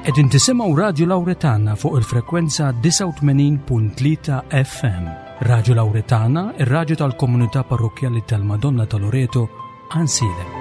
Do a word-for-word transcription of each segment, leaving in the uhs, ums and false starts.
Qegħdin tisimgħu Radju Lawretana fuq il-frekwenza disgħa u tmenin punt tlieta F M. Radju Lawretana, ir-radju tal-Komunità Parrokkjali tal-Madonna ta' Loreto, Għajnsielem.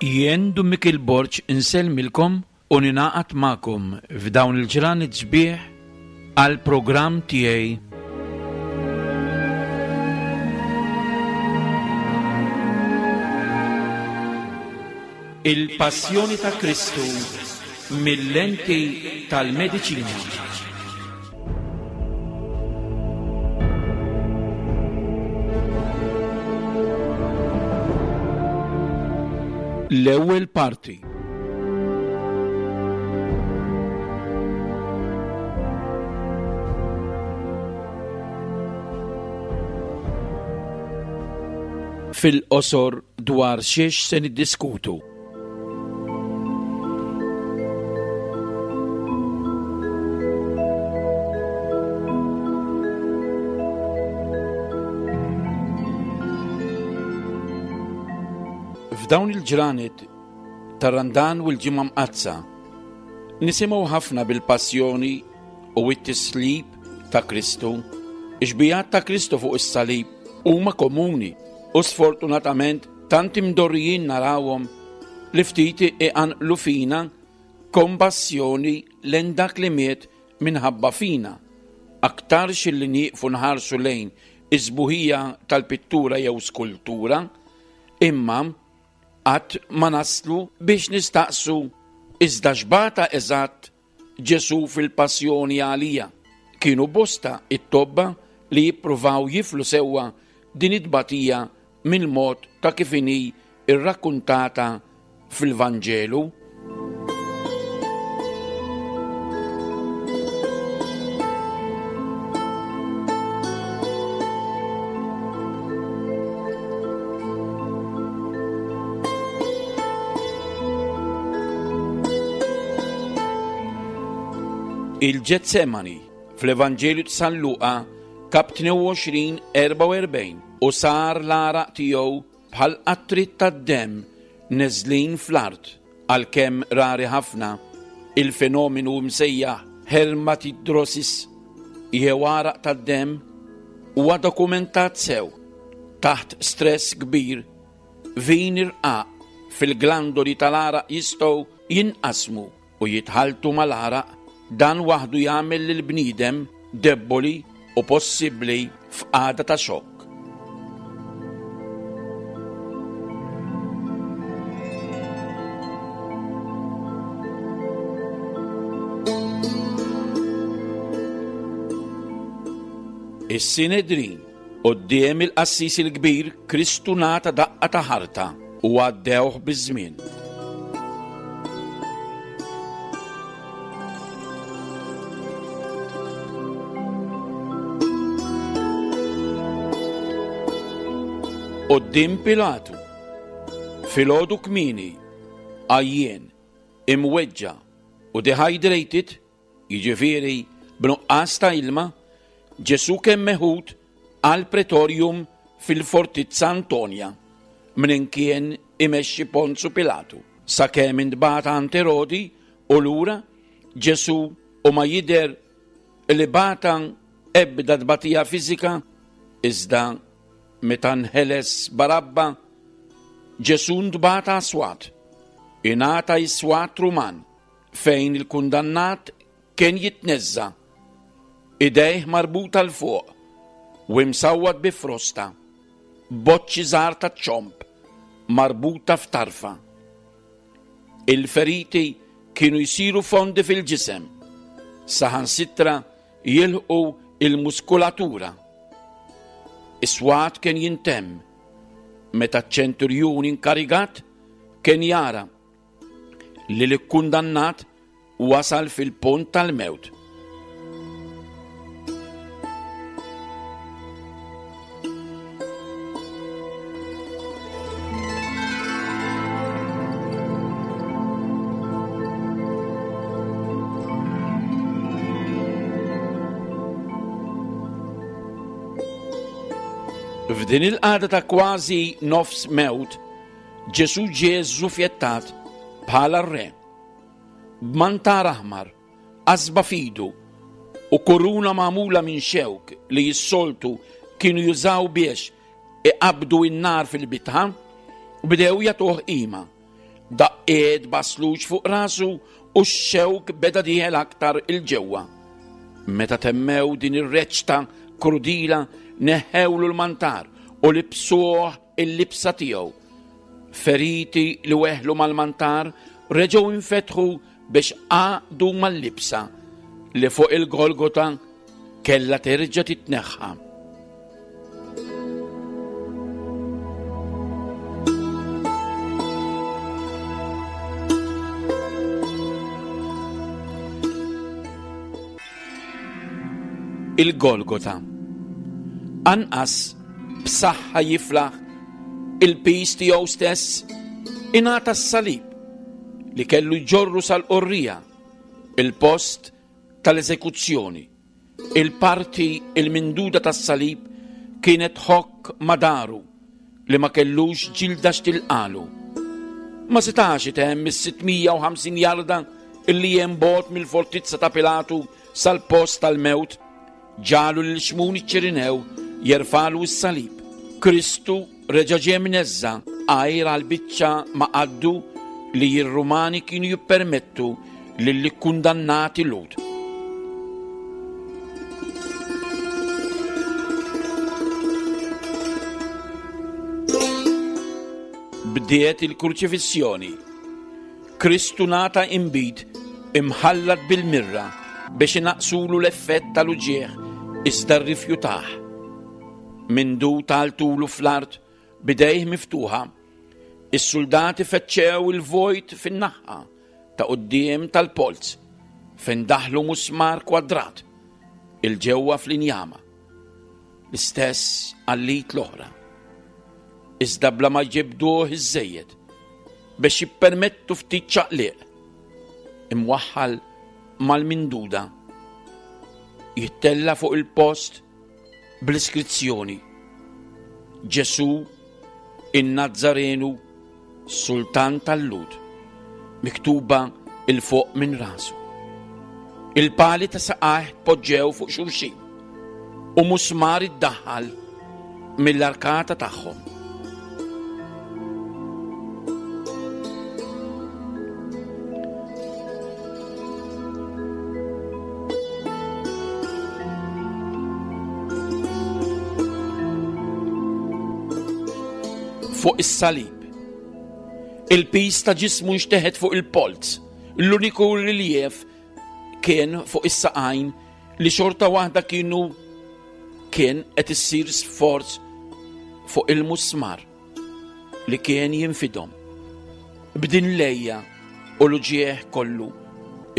Jien Dun Mikiel Borg insellmilkom u ningħaqad magħkom f'dawn il-ġranet sbieħ għal programm tiegħi Il-Passjoni ta' Kristu mill-lenti tal-mediċina. L-ewwel parti. Fil-qosor dwar xiex se niddiskutu. F'dawn il-ġranet tar-Randan u l-Ġimgħa Mqaddsa nisimgħu ħafna bil-passjoni u t-tislib ta' Kristu. Ix-xbihat ta' Kristu fuq is-salib huma komuni u sfortunatament tant imdorrijin narawhom li ftit iqanqlu fina kompassjoni lejn dak li miet minħabba fina. Aktarx li nieqfu nħarsu lejn is-sbuħija tal-pittura jew skultura, imma qatt ma naslu biex nistaqsu iżda x'bata eżatt Ġesu fil-passjoni għalija. Kienu bosta it-tobba li jippruvaw jiflu sewwa din it-tbatija mill-mod ta' kif inhi irrakkuntata fil-Vanġelu. Il-Ġetsemani fl-Evanġelju ta' San Luqa kap tnejn u għoxrin erbgħa u erbgħin u sar l-għaraq tiegħu bħal qatrit tad-demm neżlin fl-art. Għalkemm rari ħafna, il-fenomenu msejjaħ hematidrosis jew għaraq tad-demm huwa dokumentat sew. Taħt stress kbir, vini rqaq fil-glandoli tal-għaraq jistgħu jinqasmu u jitħaltu mal-għaraq. Dan waħdu jagħmel lil bniedem debboli u possibbli f'qagħda ta' xokk. Is-Sinedrin. Quddiem il-qassis il-kbir Kristu ngħata daqqa ta' ħarta u għaddewh biż-żmien. Quddiem Pilatu, filgħodu kmieni, għajjien, imweġġa' u dehydrated, jiġifieri b'nuqqas ta' ilma, Ġesu kien meħud għal pretorium fil-Fortizza Antonia, minn kien imexxi Ponzu Pilatu. Sakemm intbagħat għand Erodi u lura Ġesù u ma jidher li bata ebda tbatija fiżika, iżda meta nħeles Barabba, Ġesù ntbagħat għas-swat, ingħata s-swat Ruman fejn il-kundannat kien jitneżża, idejh marbuta 'l fuq u imsawwat bi frosta, boċċi żgħar ta' ċomb marbuta f'tarfa. Il-feriti kienu jsiru fondi fil-ġisem, saħansitra jilħqu il-muskulatura. Is-swat kien jintemm meta ċ-ċenturjun inkarigat kien jara li l-kundannat wasal fil-punt tal-mewt. F'din il-qagħda ta' kważi nofs mewt, Ġesù ġie żżufjettat bħala r-re. B'mantar aħmar, qasba f'idu u kuruna magħmula minn xewk li s-soltu kienu jużaw biex iqabdu n-nar fil-bitħa, bdew jagħtuh qima. Daqqiet basluġ fuq rasu u x-xewk beda dieħel aktar il-ġewwa. Meta temmew din ir-reċta krudila, neħħewlu l-mantar u libsuh il-libsa tiegħu. Feriti li weħlu mal-mantar reġgħu infetħu biex għaqdu mal-libsa li fuq il-Golgota kellha terġa' titneħħa. Il-Golgota. Anqas b'saħħa jiflaħ il-pis tiegħu stess, ingħata s-salib li kellu jġorru sal-qorrija, il-post tal-eżekuzzjoni. Il-parti il-minduda tas-salib kienet ħokk madaru li ma kellux ġilda x'tilqalu. Ma setax itemm is-sitt mija u ħamsin jarda illi hemm bogħod mill-fortizza ta' Pilatu sal-post tal-mewt, ġalu lil Xmun iċ-Ċirinew jerfalu s-salib. Kristu reġa' ġie mneżża għajr għal biċċa ma' qaddu li r-Rumani kienu jippermettu lill-ikkundannati Lhud. Bdiet il-kruċifissjoni. Kristu nata imbid imħallat bil-mirra biex inaqsulu l-effett tal-uġieħ iżda rrifjutah. Mindu taltulu fl-art bidejh miftuħa, is-soldati fettxew il-vojt fin-naħa ta' quddiem tal-polz fejn daħlu musmar kwadrat il-ġewwa fl-injama. L-istess għallit l-oħra. Iżda bla ma ġibduh iż-żejjed biex jippermettu ftit ċaqliq imwaħħal mal-minduda jittella fuq il-post bl-iskrizzjoni Ġesù in-Nazzarenu Sultan tal-Lhud, miktuba il fuq minn rasu. Il-pali ta' saqajh poġġew fuq xulxin u musmar iddaħħal mill-arkata tagħhom. Fuq is-salib. Il-pis ta' ġismu nxteħet fuq il-polz. L-uniku riliev kien fuq is-saqajn li xorta waħda kienu kien qed issir sforz fuq il-musmar li kien jinfidhom. B'din lejja u l-uġieħ kollu,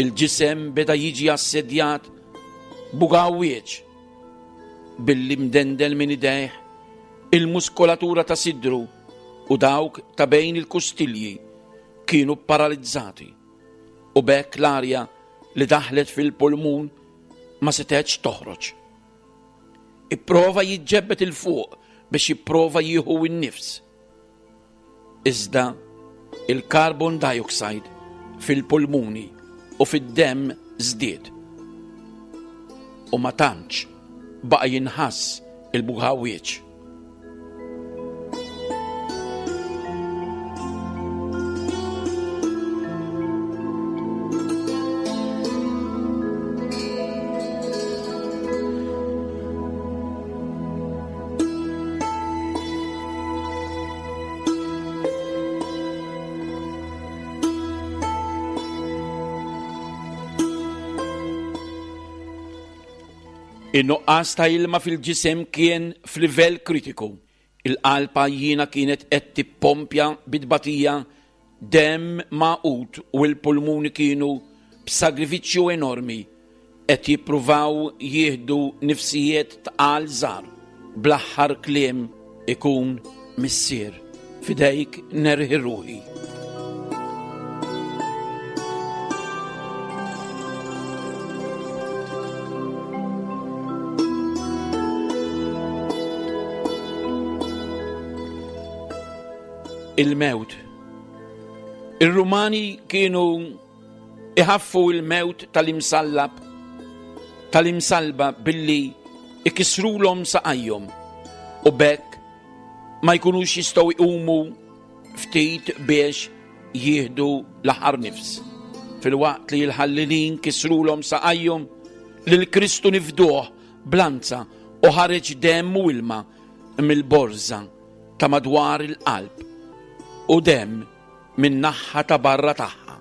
il-ġisem beda jiġi assedjat bugawwieġ billi mdendel minn idejh il-muskolatura ta' sidru u dawk ta' bejn il-kustilji kienu paralizzati u bekk l-arja li daħlet fil-pulmun ma setgħetx toħroġ. Ipprova jiġġebbed il fuq biex jipprova jieħu n-nifs. Iżda Il-carbon dioxide fil-pulmuni u fid-demm żdied. U ma tantx baqa' jinħass il-buħawieċ. In-nuqqas ta' ilma fil-ġisem kien f'livell kritiku. Il-qalb għajjiena kienet qed tippompja bit-tbatija demm magħqud u l-pulmuni kienu b'sagrifiċċju enormi qed jippruvaw jieħdu nifsijiet tqal żgħar. Bl-aħħar kliem ikun Missier, fidejk nerħi ruħi. Il-mewt. Ir-Rumani kienu iħaffu il-mewt tal-imsallab tal-imsalba billi ikisrulhom saqajhom u bekk ma jkunux jistgħu jqumu ftit biex jieħdu l-aħħar nifs. Filwaqt li l-ħallelin kisrulhom saqajhom, lil Kristu nifduh blanza u ħareġ demm u ilma mill-borża ta' madwar il-qalb u demm minn naħa ta' barra tagħha.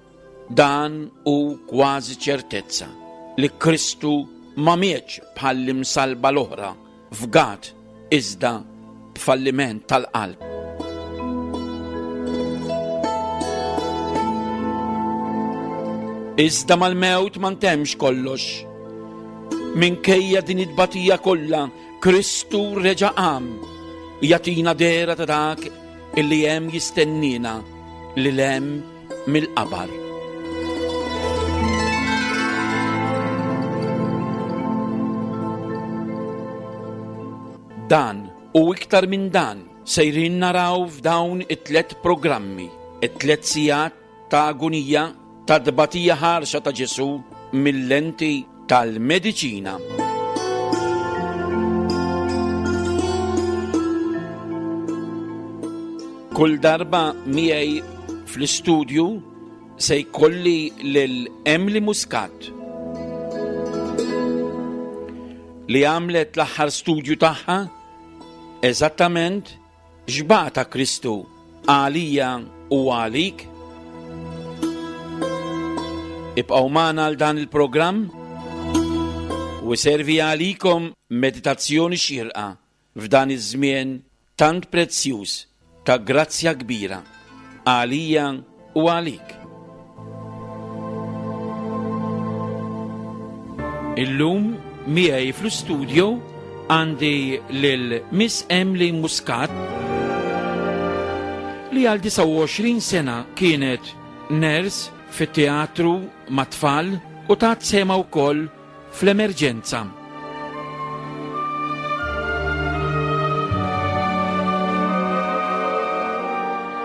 Dan hu kważi ċertezza li Kristu ma mietx bħall-imsalba l-oħra fgat iżda b'falliment tal-qalb. Iżda mal-mewt ma ntemx kollox. Minkejja din it-tbatija kollha, Kristu reġa' qam, jagħtina dehra ta' dak illi hemm jistennina lil hemm mill-qabar. Dan u iktar minn dan sejrin naraw f'dawn it-tlet programmi, it-tlet sigħat ta' agonija, ta' tbatija ħarxa ta' Ġesù mill-lenti tal-mediċina. Kull darba miegħi fl-istudju se jkolli lil Emily Muscat li għamlet l-aħħar studju tagħha eżattament x'bata Kristu għalija u għalik. Ibqgħu magħna għal dan il-programm u servi għalikom meditazzjoni xierqa f'dan iż-żmien tant prezzjuż ta' grazzja kbira għalija u għalik. Illum miegħi fl-istudju għandi lil Miss Emily Muscat li għal disgħa u għoxrin sena kienet nurse fit-teatru mat-tfal u tat sema wkoll fl-emerġenza.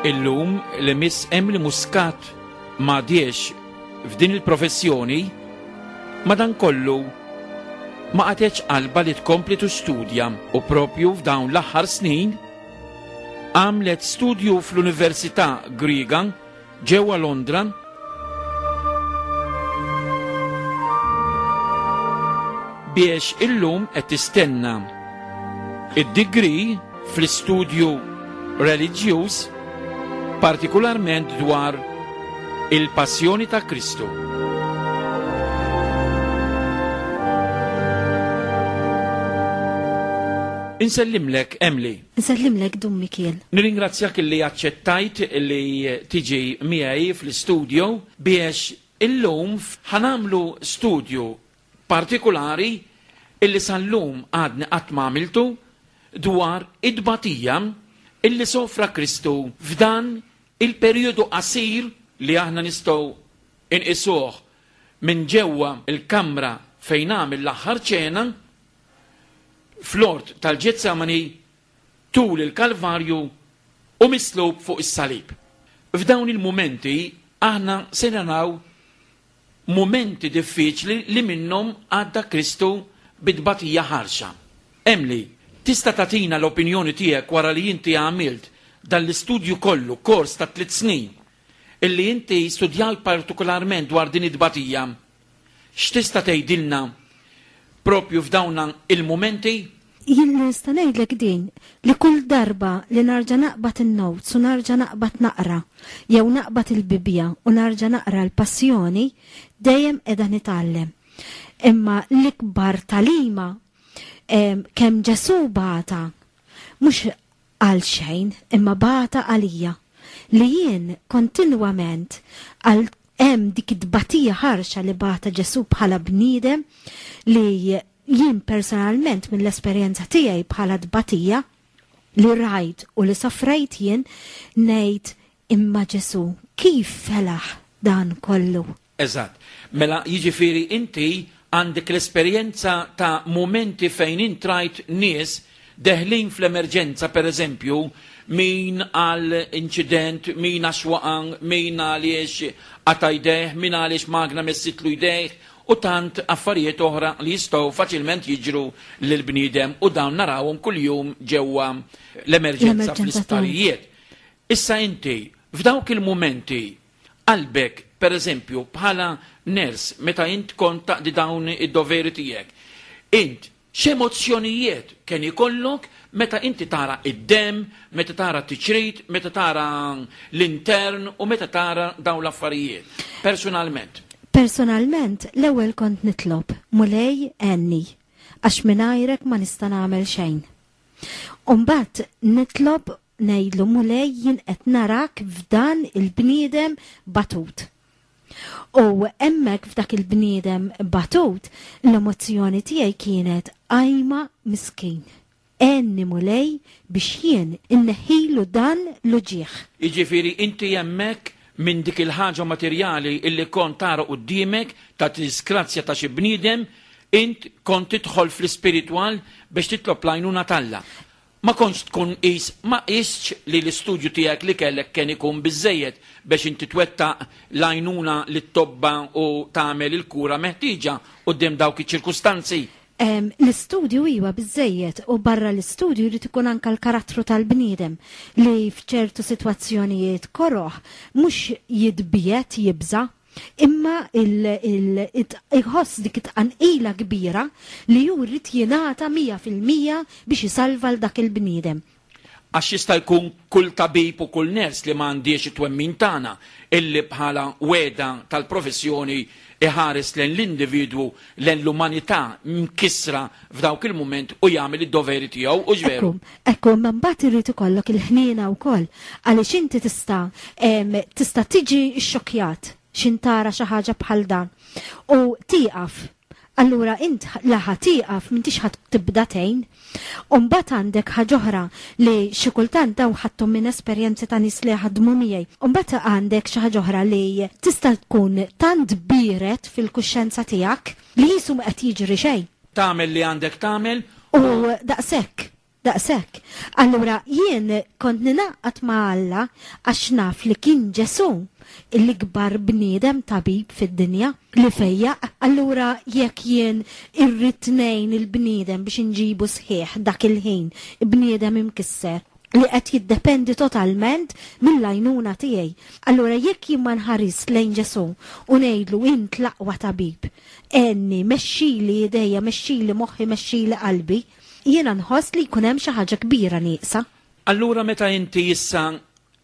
Illum li Miss Emily Muscat m'għadiex f'din il-professjoni, madankollu ma qatgħetx qalba li tkompli tistudja u propju f'dawn l-aħħar snin għamlet studju fl-Università Griega ġewwa Londra biex illum qed tistenna id-degree fl-istudju reliġjuż, partikolarment dwar il-passjoni ta' Kristu. Insellimlek, Emily. Insellimlek, Dun Mikiel. Nirringrazzjak li aċċettajt li tiġi miegħi fl-istudju biex illum ħanamlu studju partikolari illi sal-lum għadni qatt ma għamiltu dwar id-tbatija illi sofra Kristu f'dan il-perjodu qasir li aħna nistgħu inqisuh minn ġewwa il-kamra fejn għamel l-aħħar ċena fl-ort tal-Ġetsemani tul il-Kalvarju u mislub fuq is-salib. F'dawn il-mumenti aħna se naraw mumenti diffiċli li minnhom għadda Kristu bit-tbatija ħarxa. Emily, tista' tagħtina l-opinjoni tiegħek wara li inti għamilt dan l-istudju kollu, kors ta' tliet snin, illi inti studjajt partikolarment dwar din it-tbatija. X'tista' tgħidilna propju f'dawn il-mumenti? Jien nista' ngħidlek din li kull darba li narġa' naqbad in-notes u narġa' naqbad naqra jew naqbad il-Bibbja u narġa' naqra l-Passjoni, dejjem qiegħda nitgħallem. Imma l-ikbar tagħlima kemm Ġesù bata, mhux għal xejn, imma bata għalija, li jien kontinwament għal hemm dik it-tbatija ħarxa li bata Ġesù bħala bniedem, li jien personalment mill-esperjenza tiegħi bħala tbatija li rajt u li sofrejt jien ngħid imma Ġesù kif felaħ dan kollu. Eżatt. Mela jiġifieri inti għandek l-esperjenza ta' mumenti fejn intrajt nies deħlin fl-emerġenza, per eżempju, min għal inċident, min għax waqan, min għaliex qata' jdejh, min għaliex magna messitlu jdejh, u tant affarijiet oħra li jistgħu faċilment jiġru lill-bniedem u dawn narawhom kuljum ġewwa l-emerġenza L-emerġenza fl-isptarijiet. Issa inti, f'dawk il-mumenti, qalbek, per eżempju, bħala ners, meta int kont taqdi dawn id-doveri tiegħek, int x'emozzjonijiet kien ikollok meta inti tara id-dem, meta tara t-tiċrit, meta tara l-intern u meta tara dawn l-affarijiet, personalment? Personalment, l-ewwel kont nitlob, Mulej għenni, għax mingħajrek ma nista' nagħmel xejn. U mbagħad nitlob ngħidlu Mulej jien qed narak f'dan il-bniedem batut. U hemmhekk f'dak il-bniedem batut, l-emozzjoni tiegħi kienet ajma miskin. Għenni Mulej biex jien inneħilu dan l-uġigħ. Jiġifieri inti hemmhekk minn dik il-ħaġa materjali illi kont tara quddiemek ta' disgrazzja ta' xi bniedem, int kont tidħol fl-ispiritwal biex titlob l-għajnuna t'Alla. Ma kontx tkun qis, ma qisx li l-istudju tiegħek li kellek kien ikun biżejjed biex inti twettaq l-għajnuna li tobba u tagħmel il-kura meħtieġa quddiem dawk iċ-ċirkustanzi. Em, l-istudju iwa biżejjed u barra l-istudju jrid ikun anka l-karattru tal-bniedem li f'ċertu sitwazzjonijiet koroh mhux jitbiet jibża, imma il-, il-, it-, iħoss dik it-tqanqila kbira li hu jrid jingħata mija fil-mija biex isalva l dak il-bniedem. Għax jista' jkun kull tabib u kull ners li ma għandix it-twemmin tagħna illi bħala weda tal-professjoni iħares lejn l-individwu, lejn l-umanità mkissra f'dawk il-mument u jagħmel id-doveri tiegħu, u ġveru. Ekku, ekku, ma mbagħad irid ikollok il-ħniena wkoll għaliex inti tista', em, tista' tiġi xxokkjat x'intara xi ħaġa bħal dan u tieqaf. Allura int laħa tieqaf m'intix ħadd tibda tgħin. U mbagħad għandek ħaġa oħra li xi kultant daw ħadthom minn esperjenzi ta' nies li ħadmu miegħi. U mbagħad għandek xi ħaġa oħra li tista' tkun tant biret fil-kuxjenza tiegħek li jisu ma qed jiġri xejn. Tagħmel li għandek tagħmel. U daqshekk, daqshekk. Allura jien kont ninaqat ma' Alla għax naf li kien Ġesù l-ikbar bniedem tabib fid-dinja li fejjaq. Allura jekk jien irrid ngħin il-bniedem biex inġibu sħiħ dak il-ħin, bniedem imkisser li qed jiddependi totalment mill-għajnuna tiegħi. Allura jekk jien ma nħares lejn Ġesù u ngħidlu int l-aqwa tabib, għenni, mexxili idejja, mexxili moħħi, mexxili qalbi, jiena nħoss li jkun hemm xi ħaġa kbira nieqsa. Allura meta inti issa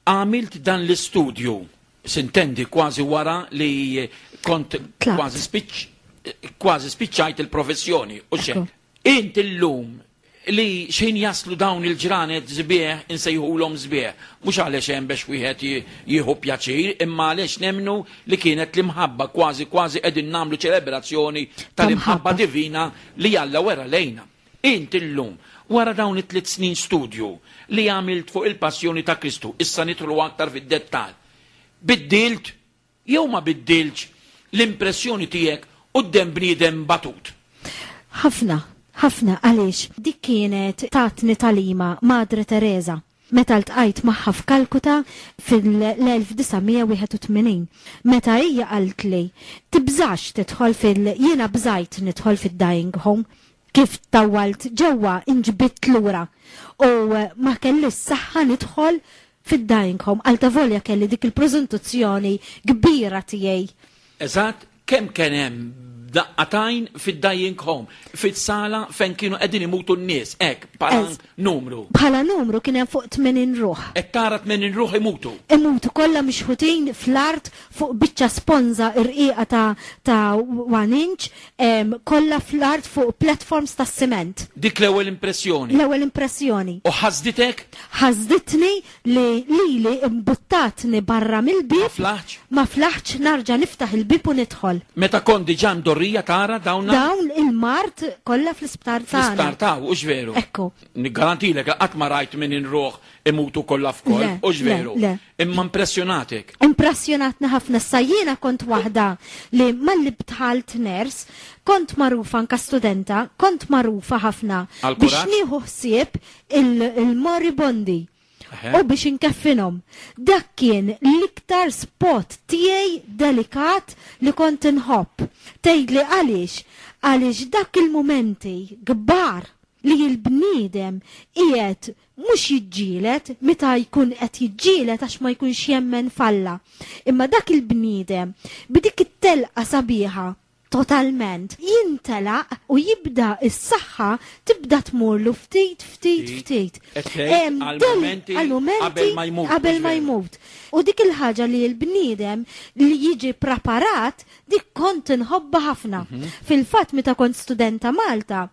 għamilt dan l-istudju, sintendi kważi wara li kont Tlaqt. kważi spiċ-, kważi spiċċajt il-professjoni, u xejn. Ekku. Int illum li xejn jaslu dawn il-ġranet sbieħ, insejħulhom sbieħ, mhux għaliex hemm biex wieħed ji-, jieħu pjaċir, imma għaliex nemnu li kienet l-imħabba, kważi kważi qegħdin nagħmlu ċelebrazzjoni tal-imħabba Tal-imħabba. divina li Alla wera lejna. Int illum, wara dawn it-tliet snin studju li għamilt fuq il-passjoni ta' Kristu, issa nidħlu aktar fid-dettall, biddilt jew ma biddiltx l-impressjoni tiegħek quddiem bniedem batut? Ħafna, ħafna, għaliex dik kienet tatni talima Madre Teresa. Meta ltqajt magħha f'Kalkuta fil-elf disa' mija wieħed u tmenin. Meta hija qaltli tibżax tidħol fil-, jiena bżajt nidħol fid-dying home. Kif tawalt ġewwa inġbidt lura u ma kellix saħħa nidħol fid-dying home. Għal volja kelli dik il-preżentazzjoni kbira tiegħi. Eżatt, kemm kien hemm daqqatajn fid-dying home, fis-sala fejn kienu qegħdin imutu n-nies, hekk bħala Ez. numru. Bħala numru kien hemm fuq tmenin ruħ. Qed tara tmenin ruħ imutu. Imutu kollha mixħutin fl-art fuq biċċa sponża irqiqa ta', ta' one inch, em, kollha fl-art fuq platforms ta' siment. Dik l-ewwel impressjoni. L-ewwel impressjoni. U ħasditek? Ħasditni li lili imbuttatni barra mill-bib. Ma flaħx? Ma flaħx narġa' niftaħ il-bib u nidħol. Meta kont diġà mdorrija tara dawn Dawn il-mard kollha fl-isptar tagħna. Fl-isptar ta' hux veru. Ekku. Niggarantilek li qatt ma rajt tmenin ruħ imutu kollha f'koll, Le, hux le, veru. le. Imma impressjonatek. Impressjonatni ħafna. Sa jiena kont waħda li malli bdħalt nurse, kont magħrufa anka studenta, kont magħrufa ħafna Għal biex kuraġġ? nieħu ħsieb il-, il-moribondi. Eħe. U biex inkeffinhom. Dak kien l-iktar spot tiegħi delikat li kont inħobb. Tgħidli għaliex? Għaliex dak il-momenti kbar li l-bniedem qiegħed mhux jiġġieled meta jkun qed jiġġieled għax ma jkunx jemmen f'Alla. Imma dak il-bniedem b'dik it-telqa sabiħa totalment jintelaq u jibda is-saħħa tibda tmurlu ftit, ftit, Ftit. ftit. Qed tgħid Em, għal del- momenti għal momenti qabel ma jmut, qabel mhux ma veru. jmut. U dik il-ħaġa li l-bniedem li jiġi preparat, dik kont inħobba ħafna. Mhm. Fil-fatt meta kont studenta Malta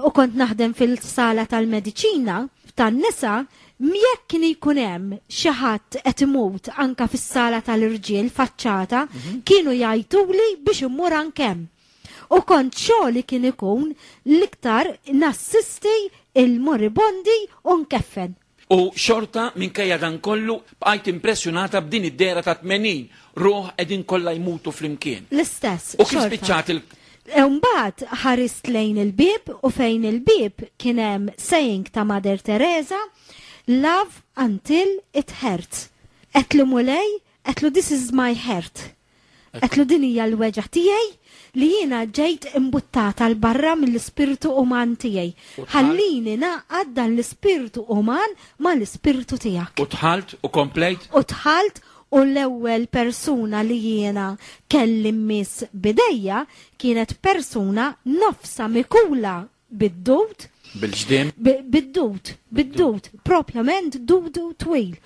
u kont naħdem fil-sala tal-mediċina tan-nisa, jekk kien ikun hemm xi ħadd qed imut anka fis-sala tal-irġiel faċċata, Mhm. kienu jgħiduli biex immur anke hemm. U kont xogħli kien ikun l-iktar nassisti il-moribondi u nkeffen. U xorta minkejja dan kollu bqajt impressjonata b'din id-dera ta' tmenin ruħ qegħdin kollha jmutu flimkien. L-istess. U kif xorta. spiċċat il- Mbagħad ħarist lejn il-bib u fejn il-bib kien hemm saying ta' Mother Teresa, love until it hurts. Għedtlu Mulej, għedtlu this is my heart. Għedtlu din hija l-weġgħa tiegħi li jiena ġejt imbuttata 'l barra mill-ispirtu uman tiegħi. U dħalt? Ħallini naqgħad dan l-ispirtu uman ma l-ispirtu tiegħek. U dħalt u komplejt? U dħalt u l-ewwel persuna li jiena kelli miss bidejja kienet persuna nofsa mikula bid-dud. Bil-ġdim? Bi-, bid-dud, bid-dud, propjament dudu twil.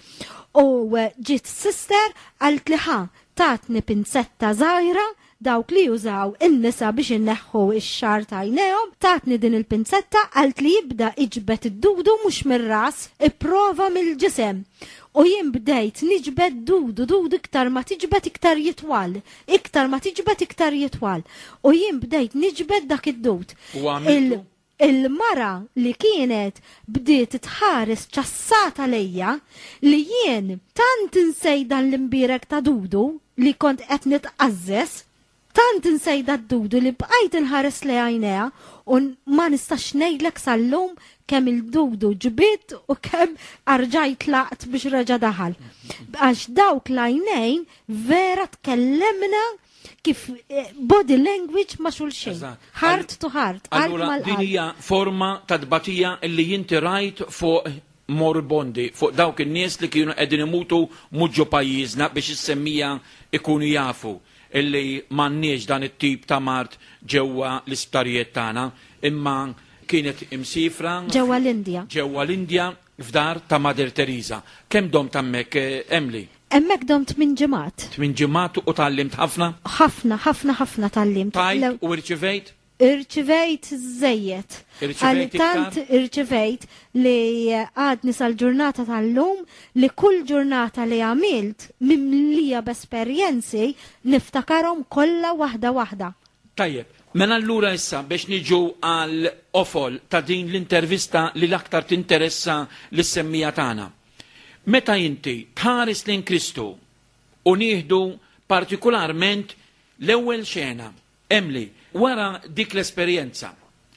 U, eh, ġiet sister għalt li ħa tatni pinzetta żgħira dawk li jużaw in-nisa biex inneħħu ix-xagħar t'għajnejhom, tatni din il-pinzetta għalt li jibda iġbed id-dudu mhux mir-ras, ipprova mill-ġisem. U jien bdejt niġbed dudu, dudu iktar ma tiġbed iktar jitwal, iktar ma tiġbed iktar jitwal. U jien bdejt niġbed dak id-dud. U għamiltu? Il- Il-mara li kienet bdiet tħares ċassata lejja li jien tant insejda l-imbirek ta' dudu li kont qed nitqazzes, tant insejda d-dudu li bqajt inħares li għajnejha u ma nistax ngħidlek sal-lum kemm il-dudu ġbit u kemm arġajt laqt biex reġa' daħal. Għax dawk l-għajnejn vera tkellemna kif, eh, body language ma' xulxin. Eżatt. Heart to heart, qalb Allura mal-qalb. din hija forma ta' tbatija illi jinti rajt fuq moribondi, fuq dawk in-nies li kienu qegħdin imutu mhux ġo pajjiżna biex is-semmija ikunu jafu illi m'għandniex dan it-tip ta' mard ġewwa l-isptarijiet tagħna, imma kienet imsifra Ġewwa l-Indja. Ġewwa l-Indja f'dar ta' Mother Teresa. Kemm domt hemmhekk, eh, Emily? Hemmhekk domt tmien ġimgħat. Tmien ġimgħat u tgħallimt ħafna? Ħafna, ħafna, ħafna tgħallimt. Tajt Lew- u irċivejt? Irċivejt żejjed. Irċivejt Għal tant iktar? irċivejt li għadni sal-ġurnata tal-lum li kull ġurnata li għamilt mimlija b'esperjenzi niftakarhom kollha waħda waħda. Tajjeb, mela allura issa biex niġu għal qofol ta' din l-intervista li l-aktar tinteressa lis-semmija tagħna. Meta inti tħares lejn Kristu u nieħdu partikolarment l-ewwel xena, Emily, wara dik l-esperjenza,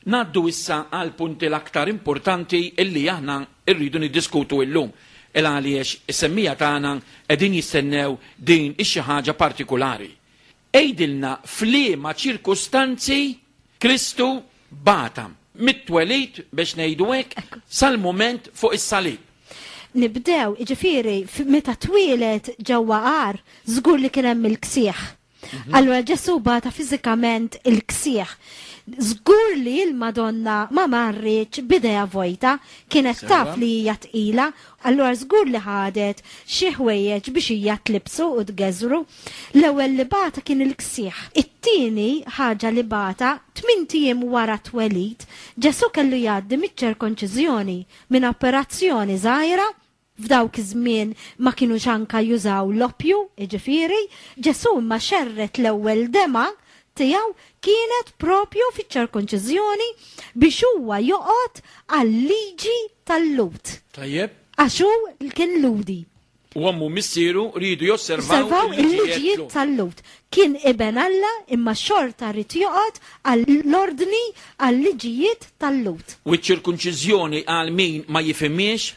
naddu issa għal punti l-aktar importanti illi aħna rridu niddiskutu illum. Il għaliex is-semmija tagħna qegħdin jistennew din ix-xi ħaġa partikulari. Għidilna f'liema ċirkustanzi Kristu bata mit-twelid, biex ngħidu hekk, sal-mument fuq is-salib. Nibdew, jiġifieri, meta twieled ġewwa għar, żgur li kien hemm il-ksieħ. Mhm. Allura Ġesu bata fiżikament il-ksieħ. Żgur li l-Madonna ma marritx b'idejha vojta, kienet taf li hija tqila, allura żgur li ħadet xi ħwejjeġ biex hija tlibsu u tgeżru. L-ewwel li bata kien il-ksieħ. It-tieni ħaġa li bata, tmint ijiem wara twelid, Ġesu kellu jgħaddi miċ-ċirkonċiżjoni, minn operazzjoni żgħira. F'dawk iż-żmien ma kinux anka jużaw l-oppju, jiġifieri, Ġesu imma xerred l-ewwel dema tiegħu kienet propju fiċ-ċirkonċiżjoni biex huwa joqgħod għal-liġi tal-Lhud. Tajjeb. Għax hu kien Lhudi. U ommu missieru riedu josservaw Osservaw il-liġijiet tal-Lhud. Kien iben Alla imma xorta rid joqgħod għall-ordni, għal-liġijiet tal-Lhud. U ċ-ċirkonċiżjoni, għal min ma jifhimiex,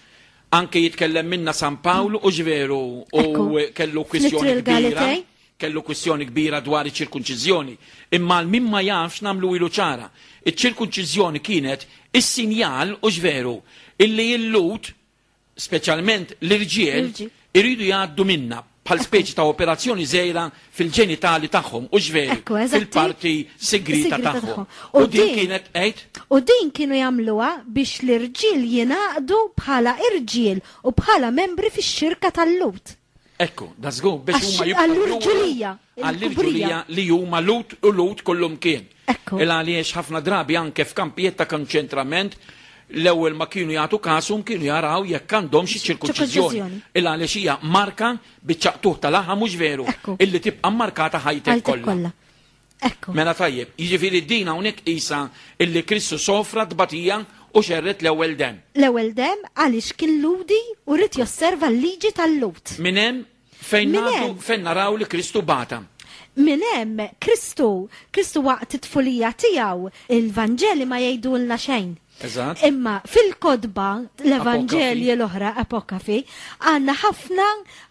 anke jitkellem minna San Pawl u ġveru u Ekku. kellu kwistjoni Fl-Ittri kbira. l-Galatej. Kellu kwistjoni kbira dwar iċ-ċirkonċiżjoni. Imma għal min ma jafx nagħmlu ilu ċara. Iċ-ċirkonċiżjoni kienet is-sinjal u ġveru illi l-Lhud, speċjalment l-irġiel, L-irġiel. iridu jgħaddu minna bħal speċi ta' operazzjoni żgħira fil-ġenitali tagħhom u ġveri Ekku, eżatti. fil-parti segreta Segreta tagħhom. tagħhom. U U din din- kienet għedt U din kienu jagħmluha biex l-irġiel jingħaqdu bħala irġiel u bħala membri fix-xirka tal-Lhud. Ekku, da żgur biex Għax huma jibqgħu għall-irġulija, għall-irġulija li huma Lhud u Lhud kollhom kien. Ekku. Il għaliex ħafna drabi anke f'kampijiet ta' konċentrament l-ewwel ma kienu jagħtu kasum kienu jaraw jekk għandhom xi ċirkonċiżjoni. Ċirkonċiżjoni. Il għaliex hija marka biċ-ċaqtuħ tal-laħam, mhux veru, Ekku. illi tibqa' markata ħajtek Ħajtek kollha. kollha. Ekku. Mela tajjeb, jiġifieri din hawnhekk qisha illi Kristu sofra tbatija u xerred l-ewwel dem. L-ewwel dem għaliex kien Lhudi u rid josserva l-liġi tal-Lhud. Minn hemm fejn Minn nagħtu hemm. fejn naraw li Kristu bata. Minn hemm Kristu, Kristu waqt it-tfulija tiegħu, il-Vanġeli ma jgħidulna xejn. Eżatt. Imma fil-kotba l-Evanġelji l-oħra, apokafi, għandna ħafna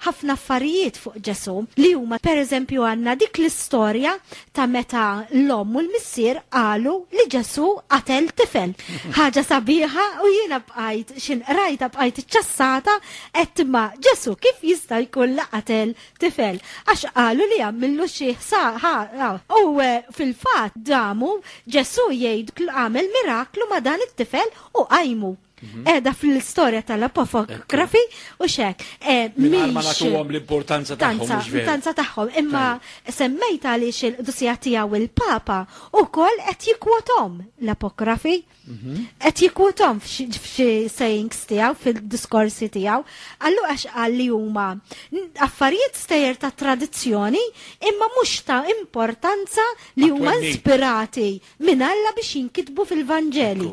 ħafna affarijiet fuq Ġesu li huma, per eżempju, għandna dik l-istorja ta' meta l-omm u l-missier qalu li Ġesu qatel tifel. Ħaġa sabiħa u jiena bqajt xin rajta bqajt iċċassata qed ma Ġesu kif jista' jkun li qatel tifel, għax qalu li għamillu xi ħsa. U eh, fil-fatt damu Ġesu jgħid għamel miraklu ma' dan it-tifel u qajmu. Edha fl-istorja tal-apokafi u xek. Eh, Mingħajr ma mhix- nagħtuhom l-importanza tagħhom, Tanza, mhux veru. importanza tagħhom, imma semmejt għaliex il-qdusija tiegħu il-Papa ukoll qed jikkwothom l-apokrafi. Qed jikkwothom f'xi f'xi sayings tiegħu, fil-diskorsi tiegħu. Allu għax qal li huma affarijiet stejjer ta' tradizzjoni imma mhux ta' importanza li huma Għat-twemmin. ispirati minn Alla biex jinkitbu fil-Vanġeli.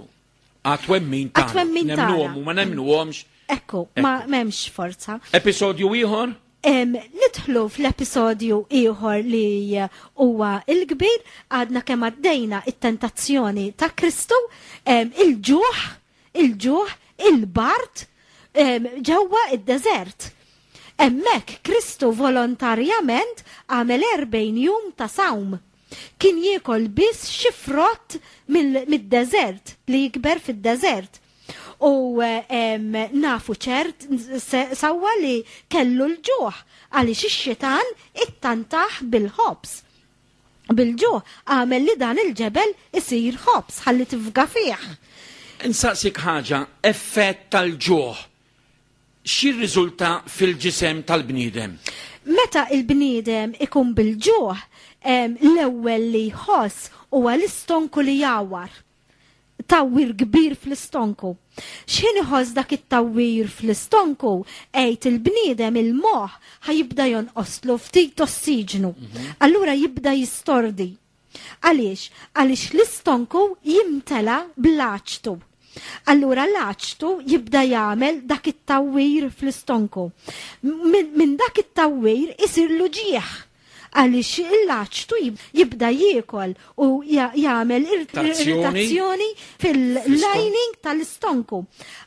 Għat-twemmin tagħna. Għat-twemmin tagħna. Nemnuhom u ma nemnuhomx. Ekku, ma m'hemmx forza. Episodju ieħor? Em, nidħlu fl-episodju ieħor li huwa il-kbir, għadna kemm għaddejna it-tentazzjoni ta' Kristu, em, il-ġuħ, il-ġuħ, il-bard, em, ġewwa id-deżert. Hemmhekk Kristu volontarjament għamel erbgħin jum ta' sawm. Kien jiekol biss xi frott mill- mid-deżert li jikber fid-deżert. U em, nafu ċert se- sewwa li kellu l-ġuħ għaliex ix-xitan ittantah bil-ħobż. Bil-ġuħ għamel li dan il-ġebel isir ħobż ħalli tifga fih. Insaqsik ħaġa, effett tal-ġuħ x'irriżulta fil-ġisem tal-bniedem? Meta il-bniedem ikun bil-ġuħ, em, l-ewwel li jħoss huwa l-istonku li jawar. Tawwir kbir fl-istonku. X'ħin iħoss dak it-tawwir fl-istonku, għejt il-bniedem il-moħħ ħa jibda jonqoslu ftit ossiġnu. Allura jibda jistordi. Għaliex? Għaliex l-istonku jimtela bl-aċtu. Allura l-aċtu jibda jagħmel dak it-tawwir fl-istonku. Min, min dak it-tawwir isir ġieħ. Għaliex l-aċtu jibda jiekol u jagħmel irritazzjoni fil-lining tal-istonku.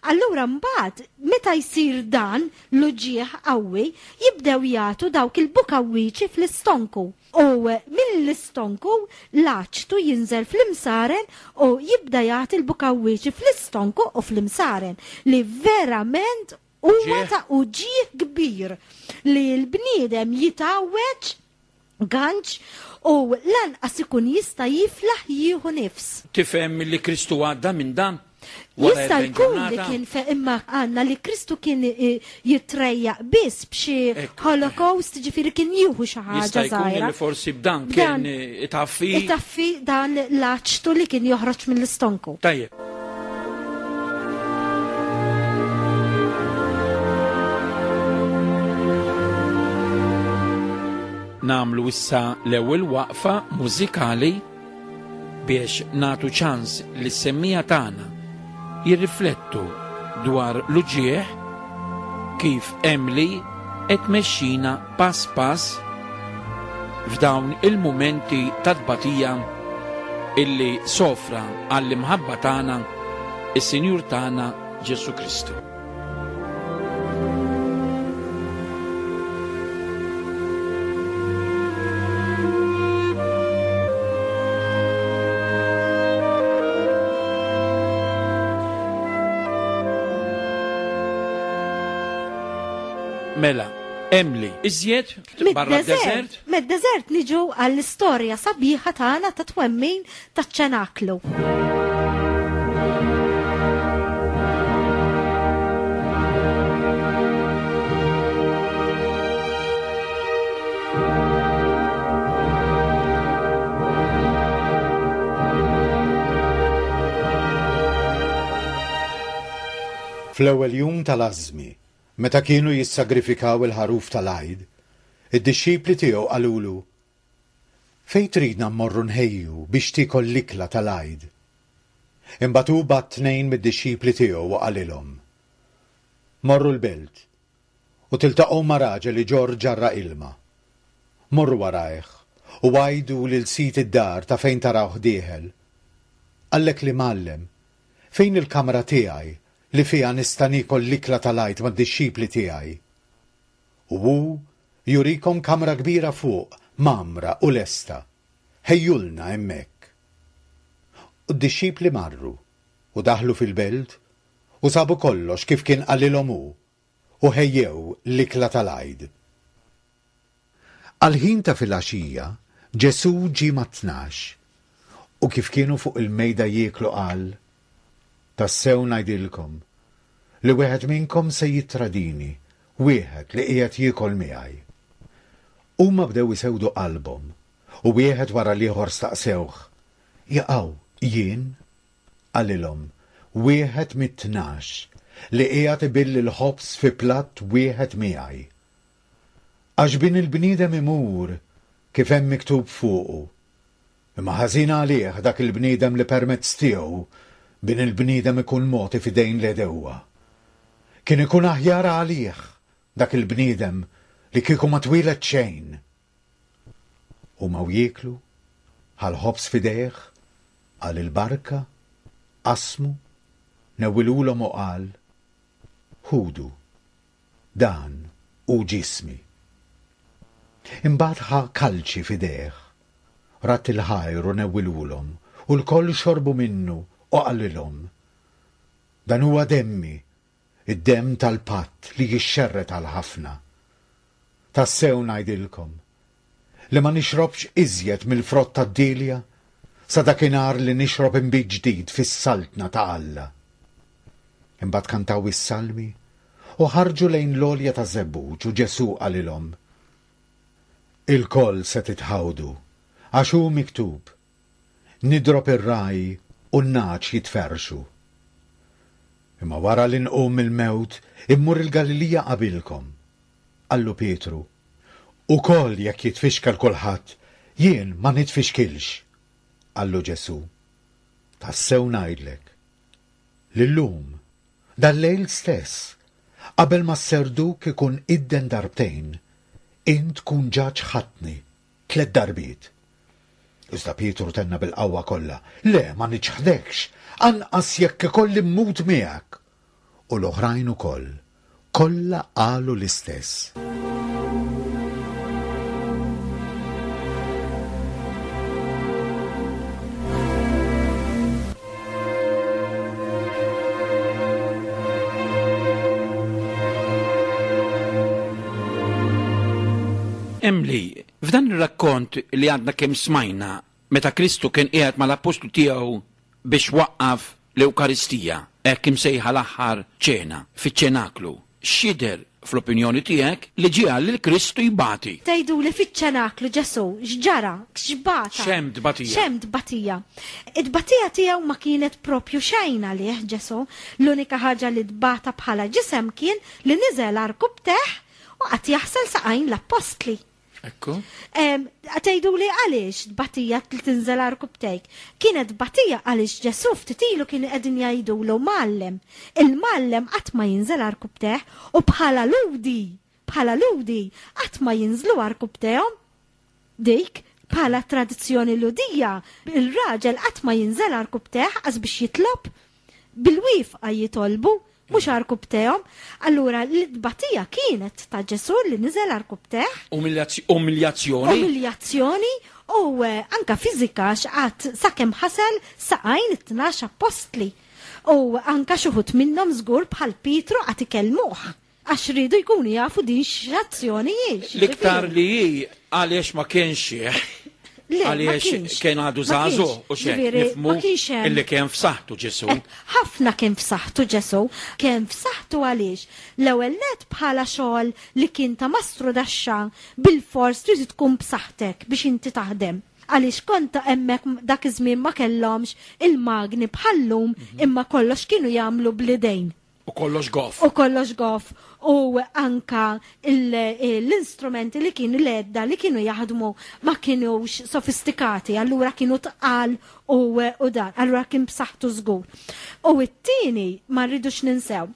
Allura mbagħad meta jsir dan l-uġigħ qawwi jibdew jagħtu dawk il-bukawwiċi fl-istonku. U mill-istonku l-aċtu jinżel fl-imsaren u jibda jagħti l-bukawwiċi fl-istonku u fl-imsaren li verament huwa ta' uġigħ kbir li l-bniedem jitgħawweġ ganċ u lanqas ikun jista' jiflaħ jieħu nifs. Tifhem li Kristu għadda minn dan? Jista' jkun li kien fe imma għandna li Kristu kien jitrejjaq biss b'xi Holocaust, ġifieri kien jieħu xi ħaġa Jista' jkun li forsi b'dan kien itaffi. Itaffi dan l-aċtu li kien joħroġ mill-istonku. Tajjeb. Namlu issa l-ewwel waqfa mużikali biex natu ċans li s-semmija tagħna jirriflettu dwar l-uġigħ kif Emily qed tmexxina pass pass f'dawn il-mumenti ta' tbatija illi sofra għall-imħabba tagħna is-Sinjur tagħna Ġesù Kristu. Mela, Emily, iżjed barra d-deżert? Mid-deżert niġu għall-istorja sabiħa tagħna ta' twemmin taċ-ċenaklu. Fl-ewwel jum tal-Ażmi, meta kienu jissagrifikaw il-ħaruf tal-Għid, id-dixxipli tiegħu qalulu: "Fejn tridna mmorru nħejju biex tiekol l-ikla tal-Għid?" Imbagħad hu bagħat tnejn mid-dixxipli tiegħu u qalilhom: "Morru l-belt u tiltaqgħu ma' raġel li ġorr ġarra ilma. Morru warajh u għidu lil sid id-dar ta' fejn tarawh dieħel. Qallek li mgħallem, fejn il-kamra tiegħi li fiha nista' niekol l-ikla tal-Għid mad-dixxipli tiegħi?" U hu jurikom kamra kbira fuq, mamra u lesta. Ħejjulna hemmhekk. U d-dixxipli marru u daħlu fil-belt u sabu kollox kif kien qalilhom hu u ħejjew l-ikla tal-Għid. Għal-ħin ta' filgħaxija Ġesù ġie mat-tnax u kif kienu fuq il-mejda jieklu qal: "Tassew ngħidilkom li wieħed minnkom se jittradini, wieħed li qiegħed jiekol miegħi." Huma bdew isewdu qalbhom u wieħed wara l-ieħor staqsewh: "Jaqaw jien?" Qalilhom: "Wieħed mit-tnax li qiegħed ibill il-ħobż fi platt wieħed miegħi. Għax bin il-bniedem imur kif hemm miktub fuqu, imma ħażin għalih dak il-bniedem li permezz tiegħu bin il-bniedem ikun mogħti f'idejn l-għedewwa. Kien ikun aħjar għalih dak il-bniedem li kieku ma twieled xejn." Huma u jieklu, ħal ħobż f'idejh, qal il-barka, qasmu, newwilulhom u qal: "Ħudu, dan hu ġismi." Imbagħad ħa kalċi f'idejh, ratt il-ħajr u newwilulhom, u lkoll xorbu minnu u qalilhom: "Dan huwa demmi, id-demm tal-patt li jixxerred għal ħafna. Tassew ngħidilkom li ma nixrobx iżjed mill-frott tad-dilja sa dakinhar li nixrob inbid ġdid fis-saltna ta' Alla." Imbagħad kantaw is-salmi u ħarġu lejn l-għolja ta' Żebbuġ u Ġesù qalilhom: "Ilkoll se titħawdu, għax hu miktub: nidrob ir-raj u n-nagħaġ jitferrxu. Imma wara li nqum mill-mewt immur il-Galilija qabilkom." Qallu Pietru: "Ukoll jekk jitfixkel kulħadd, jien ma nitfixkilx." Qallu Ġesù: "Tassew ngħidlek li llum, dal-lejl stess, qabel ma s-serduk ikun idden darbtejn, int tkun ġa ċħadtni tliet darbiet. Iżda Pietru tenna bil-qawwa kollha, le ma niċħdekx, anqas jekk ikolli mmut miegħek. U l-oħrajn ukoll, kollha qalu l-istess. Emily, f'dan ir-rakkont li għadna kemm smajna meta Kristu kien qiegħed mal-appostlu tiegħu biex waqqaf l-Ewkaristija, hekk imsejħa l-aħħar ċena, fiċ-ċenaklu, x'jidher fl-opinjoni tiegħek li ġiegħel lil Kristu jbati? Tgħidu li fiċ-ċenaklu Ġesù x'ġara, x'bata? X'hemm tbatija? X'hemm tbatija? It-tbatija tiegħu ma kienet propju xejn għalih Ġesù. L-unika ħaġa li tbata bħala ġisem kien li niżel għarkupptejh u qatt jaħsel saqajn l-appostli. Ekku. Tgħidu li għaliex tbatija li tinżel għarkupptejk? Kienet tbatija għaliex Ġesù ftit ilu kien qegħdin jgħidulu mgħallem. Il-mgħallem qatt ma jinżel għarkupptejh u bħala ludi, bħala ludi qatt ma jinżlu għarkupptejhom. Dik bħala tradizzjoni ludija, il-raġel qatt ma jinżel għarkupptejh qas biex jitlob, bil-wifqa jitolbu, mhux għarkupptejhom. Allura l-tbatija kienet ta' Ġesù li niżel għarkupptejh. Umiljazzjoni. Umiljazzjoni u anka fiżika x'qatt sakemm ħasel saqajn it-tnax appostli. U anka xi wħud minnhom żgur bħal Pietru qatt ikellmuh għax ridu jkunu jafu din x'azzjoni hi. L-iktar li hi għaliex ma kienx xieħ. Għaliex kien għadu żagħżugħ u xejn nifhmu illi kien f'saħħtu Ġesù. Ħafna kien f'saħħtu Ġesù, kien f'saħħtu għaliex l-ewwel nett bħala xogħol li kien ta' mastru daxxa bil-fors trid tkun b'saħħtek biex inti taħdem. Għaliex kont hemmhekk dak iż-żmien ma kellhomx il-magni bħallum imma kollox kienu jagħmlu bl-idejn. U kollox goff. U kollox goff. U anka l-instrumenti li kienu l-edda li kienu jaħdmu ma kienux sofistikati, allura kienu tqal u dan, allura kien b'saħħtu żgur. U t-tieni ma rridux ninsew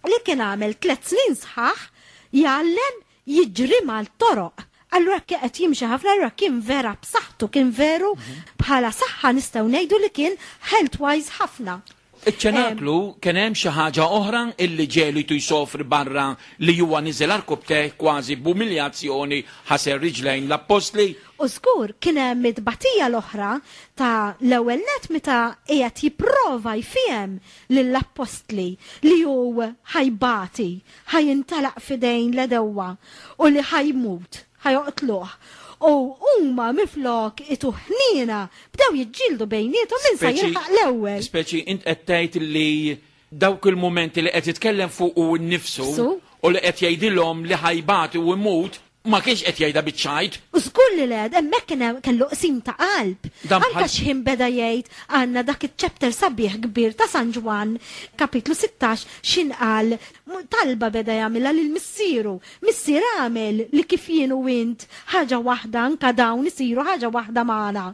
li kien għamel tliet snin sħaħ jgħallem jiġri mal-toroq. Allura kien qed jimxi ħafna, allura kien vera b'saħħtu, kien veru bħala saħħa nistgħu ngħidu li kien health-wise ħafna. Iċ-ċenaklu kien hemm xi ħaġa oħra illi ġelu jtu jsofri barra li huwa niżel għarkupptejh kważi b'umiljazzjoni ħasel riġlejn l-appostli. U żgur kien hemm it-tbatija l-oħra ta' l-ewwel nett meta qiegħed jipprova jfiem lill-appostli li hu ħajbati, ħajintalaq f'idejn l-edewwa u li ħajmut, ħajoqtluh. U huma miflok itu ħnina bdew jiġġieldu bejniethom min sa jilħaq l-ewwel. Speċi int qed tgħid li dawk il-mumenti li qed jitkellem fuq u nnifsu u li qed jgħidilhom li ħajbati u jmut ma kienx qed jgħidha biċ-ċajt. U żgur li le, hemmhekk kien kellu qsim ta' qalb. Anke x'ħin beda jgħid għandna dak iċ-chapter sabiħ kbir ta' San Ġwann, kapitlu sittax, x'in qal talba beda jagħmilha lil missieru. Missier għamel li kif jien u int ħaġa waħda anke dawn isiru ħaġa waħda magħna.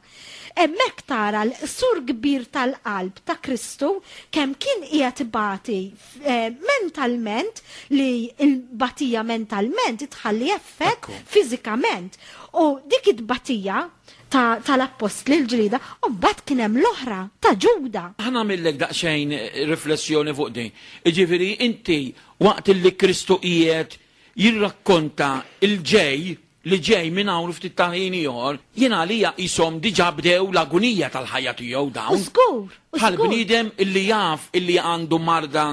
Hemmhekk tara l-qsur kbir tal-qalb ta' Kristu kemm kien qiegħed ibati mentalment, li l-batija mentalment tħalli effett fiżikament. U dik it-tbatija tal-appostli l-ġlida, u mbagħad kien hemm l-oħra ta' Ġuda. Ħa nagħmillek daqsxejn riflessjoni fuq din. Jiġifieri inti waqt li Kristu qiegħed jirrakkonta l-ġej li ġej minn hawn ftit ta' ħin ieħor, jien għalija qishom diġà bdew l-agunija tal-ħajja tiegħu dawn. Żgur, u Bħal żgur. bniedem illi jaf illi għandu marda,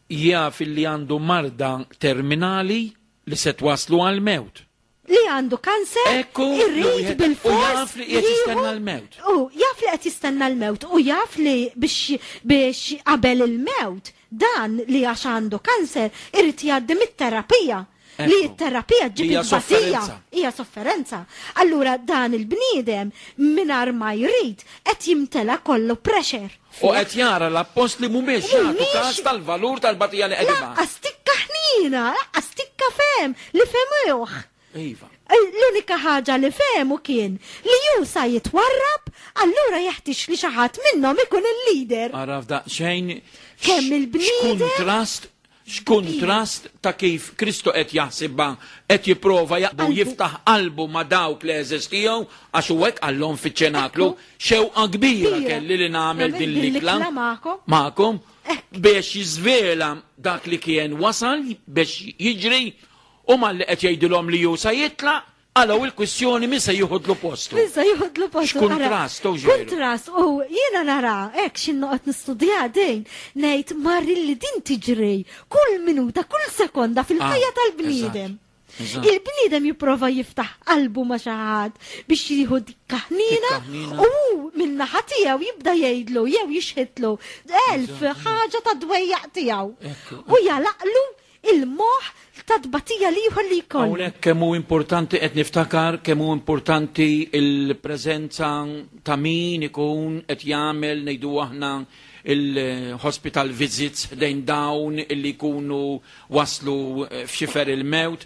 jaf illi għandu marda terminali li se twaslu għall-mewt. Li għandu kanser, Ekku, irrid li wieħed- bil-fors u jaf li qiegħed jistenna jieħu l-mewt. U jaf li qed jistenna l-mewt, u jaf li biex, biex qabel il-mewt, dan li għax għandu kanser irrid jgħaddi mit-terapija. Li Ekku. t-terapija ġib Hija it-tbatija. sofferenza. Hija sofferenza. Allura dan il-bniedem mingħajr ma jrid qed jimtela kollu pressure. U qed jara l-appostli mhumiex jagħtu Mhumiex każ tal-valur tal-batija li qed ibgħat. Laqqas tikka ħnina, laqqas tikka fem li femuh. Iva. L-unika ħaġa li fehmu kien li ju sa jitwarrab, allura jeħtieġ li xi ħadd minnhom ikun il-leader. Ara f'daqsxejn Kemm il-bniedem x'kuntrast, X'kuntrast ta' kif Kristu qed jaħsibha, qed jipprova jaqbu jiftaħ qalbu ma' dawk li għeżież tiegħu, għax hu hekk qallhom fiċ-ċenaklu, xewqa kbira kelli li nagħmel din l-ikla magħkom biex jiżvela dak li kien wasal biex jiġri, u malli qed jgħidilhom li hu sa jitlaq, għalaw il-kwistjoni min se jieħodlu postu. Min se jieħodlu postu. X'kuntrast, u ġeru. Kuntrast, u jiena nara, hekk x'in noqgħod nistudja din, ngħid marri li din tiġri kull minuta, kull sekonda fil-ħajja Ah, tal-bniedem. eżatt, eżatt. Il-bniedem jipprova jiftaħ qalbu ma' xi ħadd biex jieħu dik ħnina, Dik ħnina. u min-naħa tiegħu jibda jgħidlu jew jixħitlu elf ħaġa ta' dwejjaq tiegħu. Ekku. U jalaqlu il-moħ ta' tbatija li jieħu li jkollu. Hawnhekk kemm hu importanti qed niftakar kemm hu importanti il-preżenza ta' min ikun qed jagħmel ngħidu aħna il-hospital visits dejn dawn illi jkunu waslu f'xifer il-mewt,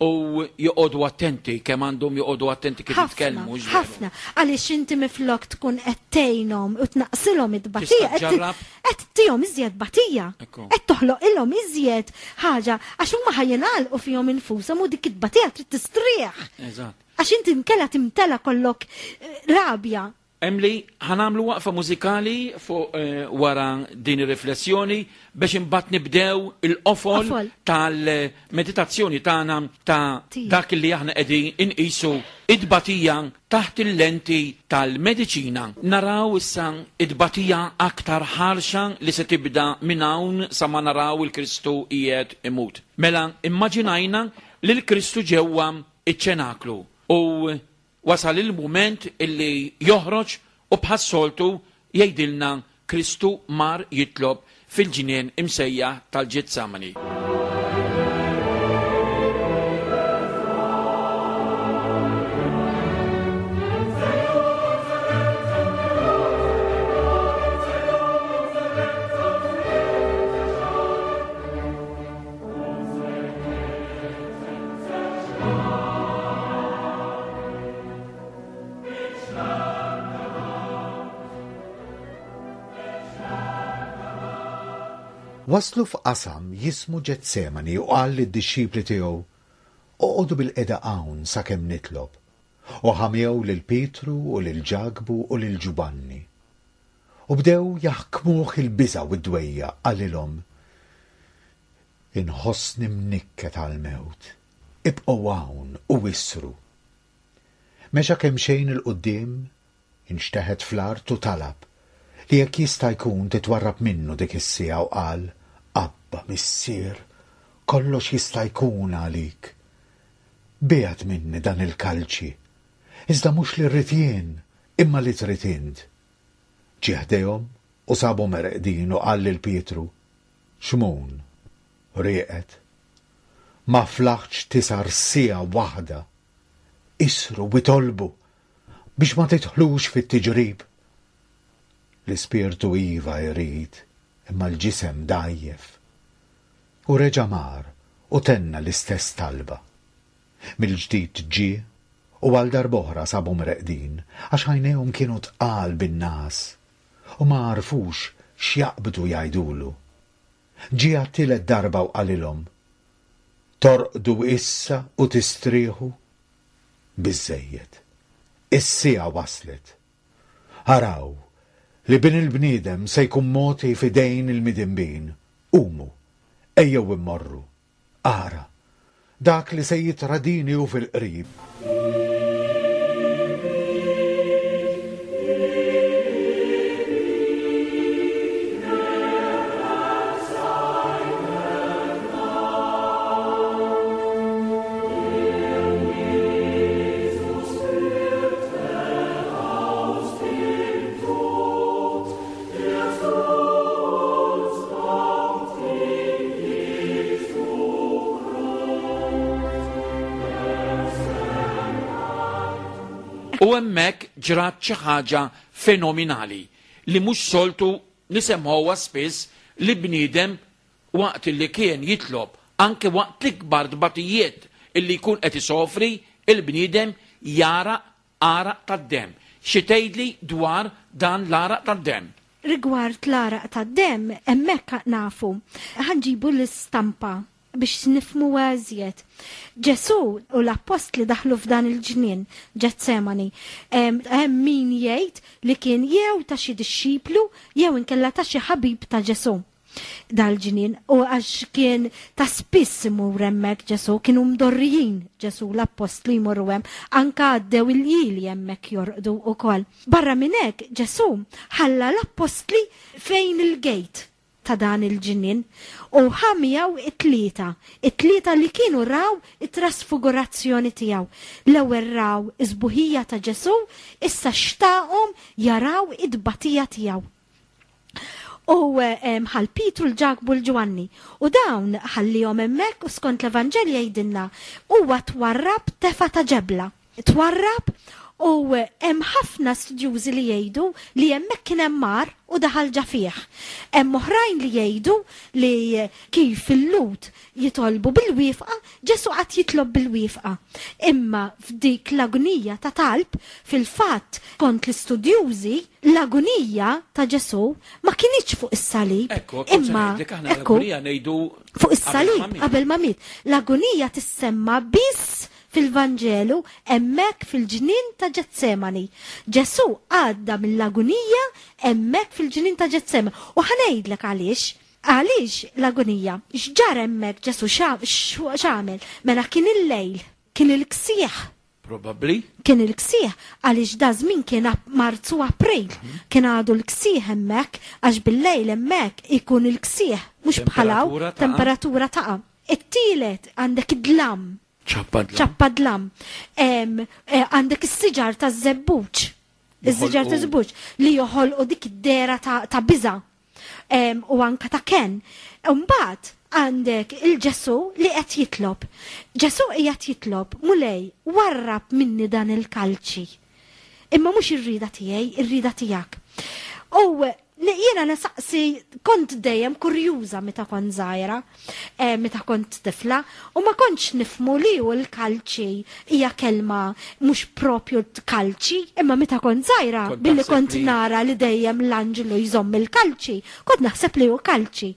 u joqogħdu attenti kemm għandhom joqogħdu attenti kif Ħafna, jitkellmu, ġveru. ħafna, għaliex inti miflok tkun qed tgħinhom u tnaqsilhom it-tbatija, Tista' qed ġarrab. qed tihom iżjed batija. Ekku. Qed toħloq ilhom iżjed ħaġa għax huma ħajjingħalqu fihom infushom u dik it-tbatija trid tistrieħ. Eżatt. Għax inti nkella timtela kollok, eh, rabja. Emily, ħanamlu waqfa mużikali fuq, eh, wara din ir-riflessjoni biex imbagħad nibdew il-qofol Qofol. tal-meditazzjoni tagħna ta' Tija. dak li aħna qegħdin inqisu id-batija taħt il-lenti tal-mediċina. Naraw issa id-batija aktar ħarxa li se tibda minn hawn sa ma naraw il-Kristu qiegħed imut. Mela immaġinajna li l-Kristu ġewwa iċ-ċenaklu u wasal il-mument illi joħroġ u bħas-soltu jgħidilna Kristu mar jitlob fil-ġnien imsejjaħ tal-Ġetsemani. Waslu f'qasam jismu Ġetsemani u qal lid-dixxipli tiegħu, Oqogħdu bil-qeda hawn sakemm nitlob. U ħamjew lil Pietru u lil Ġakbu u lil Ġubanni. U bdew jaħkmuh il-biża' u d-dwejja, qalilhom, Inħossni mnikket għall-mewt, ibqgħu hawn u wisru. Mexa kemm xejn il-quddiem, inxteħet fl-art u talab li jekk jista' jkun titwarrab minnu dik is-siegħa u qal, Abba, Missier, kollox jista' jkun għalik. Biegħed minni dan il-kalċi, iżda mhux li rrid jien, imma li trid int. Ġie ħdejhom u sabhom ereqdin u qal lil Pietru, Xmun, rieqed, ma flaħtx tisar siegħa waħda. Isru u itolbu biex ma tidħlux fit-tiġrib. L-ispirtu iva jrid, imma l-ġisem dgħajjef. U reġa' mar u tenna l-istess talba. Mill-ġdid ġie u għal darb'oħra sabhom reqdin, għax għajnejhom kienu tqal bin-nas u ma għarfux x'jaqbdu jgħidulu. Ġie għat-tielet darba u qalilhom, Torqdu issa u tistrieħu? Biżżejjed. Is-siegħa waslet. Araw li bin il-bniedem se jkun moti f'idejn il-midinbin. Qumu, ejjew immorru. Ara, dak li se jitradini hu fil-qrib. U hemmhekk ġrat xi ħaġa fenomenali li mhux soltu nisemgħuha spiss li bniedem waqt li kien jitlob, anke waqt l-ikbar tbatijiet illi jkun qed isofri, il-bniedem jara għaraq tad-demm. Xi tgħidli dwar dan l-għaraq tad-demm? Rigward l-għaraq tad-demm, hemmhekk nafu. Ħa nġibu l-istampa biex nifhmu iżjed. Ġesu u l-appostli daħlu f'dan il-ġnien, Ġetsemani. Hemm min jgħid li kien jew ta' xi dixxiplu jew inkella ta' xi ħabib ta' Ġesu dal-ġnien, u għax kien ta' spiss imur hemmhekk Ġesu, kienu mdorrijin Ġesu l-appostli jmorru hemm, anka għaddew il-ljieli hemmhekk jorqdu ukoll. Barra minn hekk Ġesu ħalla l-appostli fejn il-gate ta' dan il-ġnien u ħa miegħu it-tlieta, it-tlieta li kienu raw it-trasfigurazzjoni tiegħu. L-ewwel raw is-sbuħija ta' Ġesu, issa xtaqhom jaraw it-tbatija tiegħu. U ħal Pietru, l-Ġakbu, l-Ġwanni. U dawn ħallihom hemmhekk u skont l-Evanġelju jgħidilna huwa twarrab tefa ta' ġebla. Twarrab u hemm ħafna studjużi li jgħidu li hemmhekk kien hemm mar u daħal ġa fih. Hemm oħrajn li jgħidu li kif il-Lhud jitolbu bil-wieqfa, Ġesu qatt jitlob bil-wieqfa. Imma f'dik l-agonija ta' talb, fil-fatt kont l-istudjużi, l-agonija ta' Ġesu ma kinitx fuq is-salib. Ekku, Imma aħna ekku, l-agonija ngħidu fuq is-salib qabel ma miet. L-agonija tissemma biss fil-Vanġelu hemmhekk fil-ġnien ta' Ġetsemani. Ġesu għadda mill-agonija hemmhekk fil-ġnien ta' Ġetsemani. U ħa ngħidlek għaliex. Għaliex l-agonija? X'ġara hemmhekk Ġesu x'għamel? Mela kien il-lejl, kien il-ksieħ. Probabbli. Kien il-ksieħ għaliex da żmien kien Marzu, April, kien għadu l-ksieħ hemmhekk għax bil-lejl hemmhekk ikun il-ksieħ mhux bħalaw Temperatura taqa'. temperatura taqa'. It-tielet għandek id-dlam. ċappa dlam. ċappa dlam. Em, eh, Għandek is-siġar ta' żebbuġ. Is-siġar ta' Joħolqu- żebbuġ li joħolqu dik id-dehra ta' ta' biża' Em, u anka ta' ken. Mbagħad għandek il-Ġesu li qed jitlob. Ġesu qiegħed jitlob, Mulej, warrab minni dan il-kalċi. Imma mhux ir-rida tiegħi, ir-rida tiegħek. U jiena nasaqsi, kont dejjem kurjuża meta kont żgħira, eh, meta kont tifla, u ma kontx nifhmu li hu l-kalċi hija kelma mhux propju kalċi, imma meta kont żgħira, Kont billi taħseb kont li- nara li dejjem l-anġlu jżomm il-kalċi, kont naħseb li hu kalċi.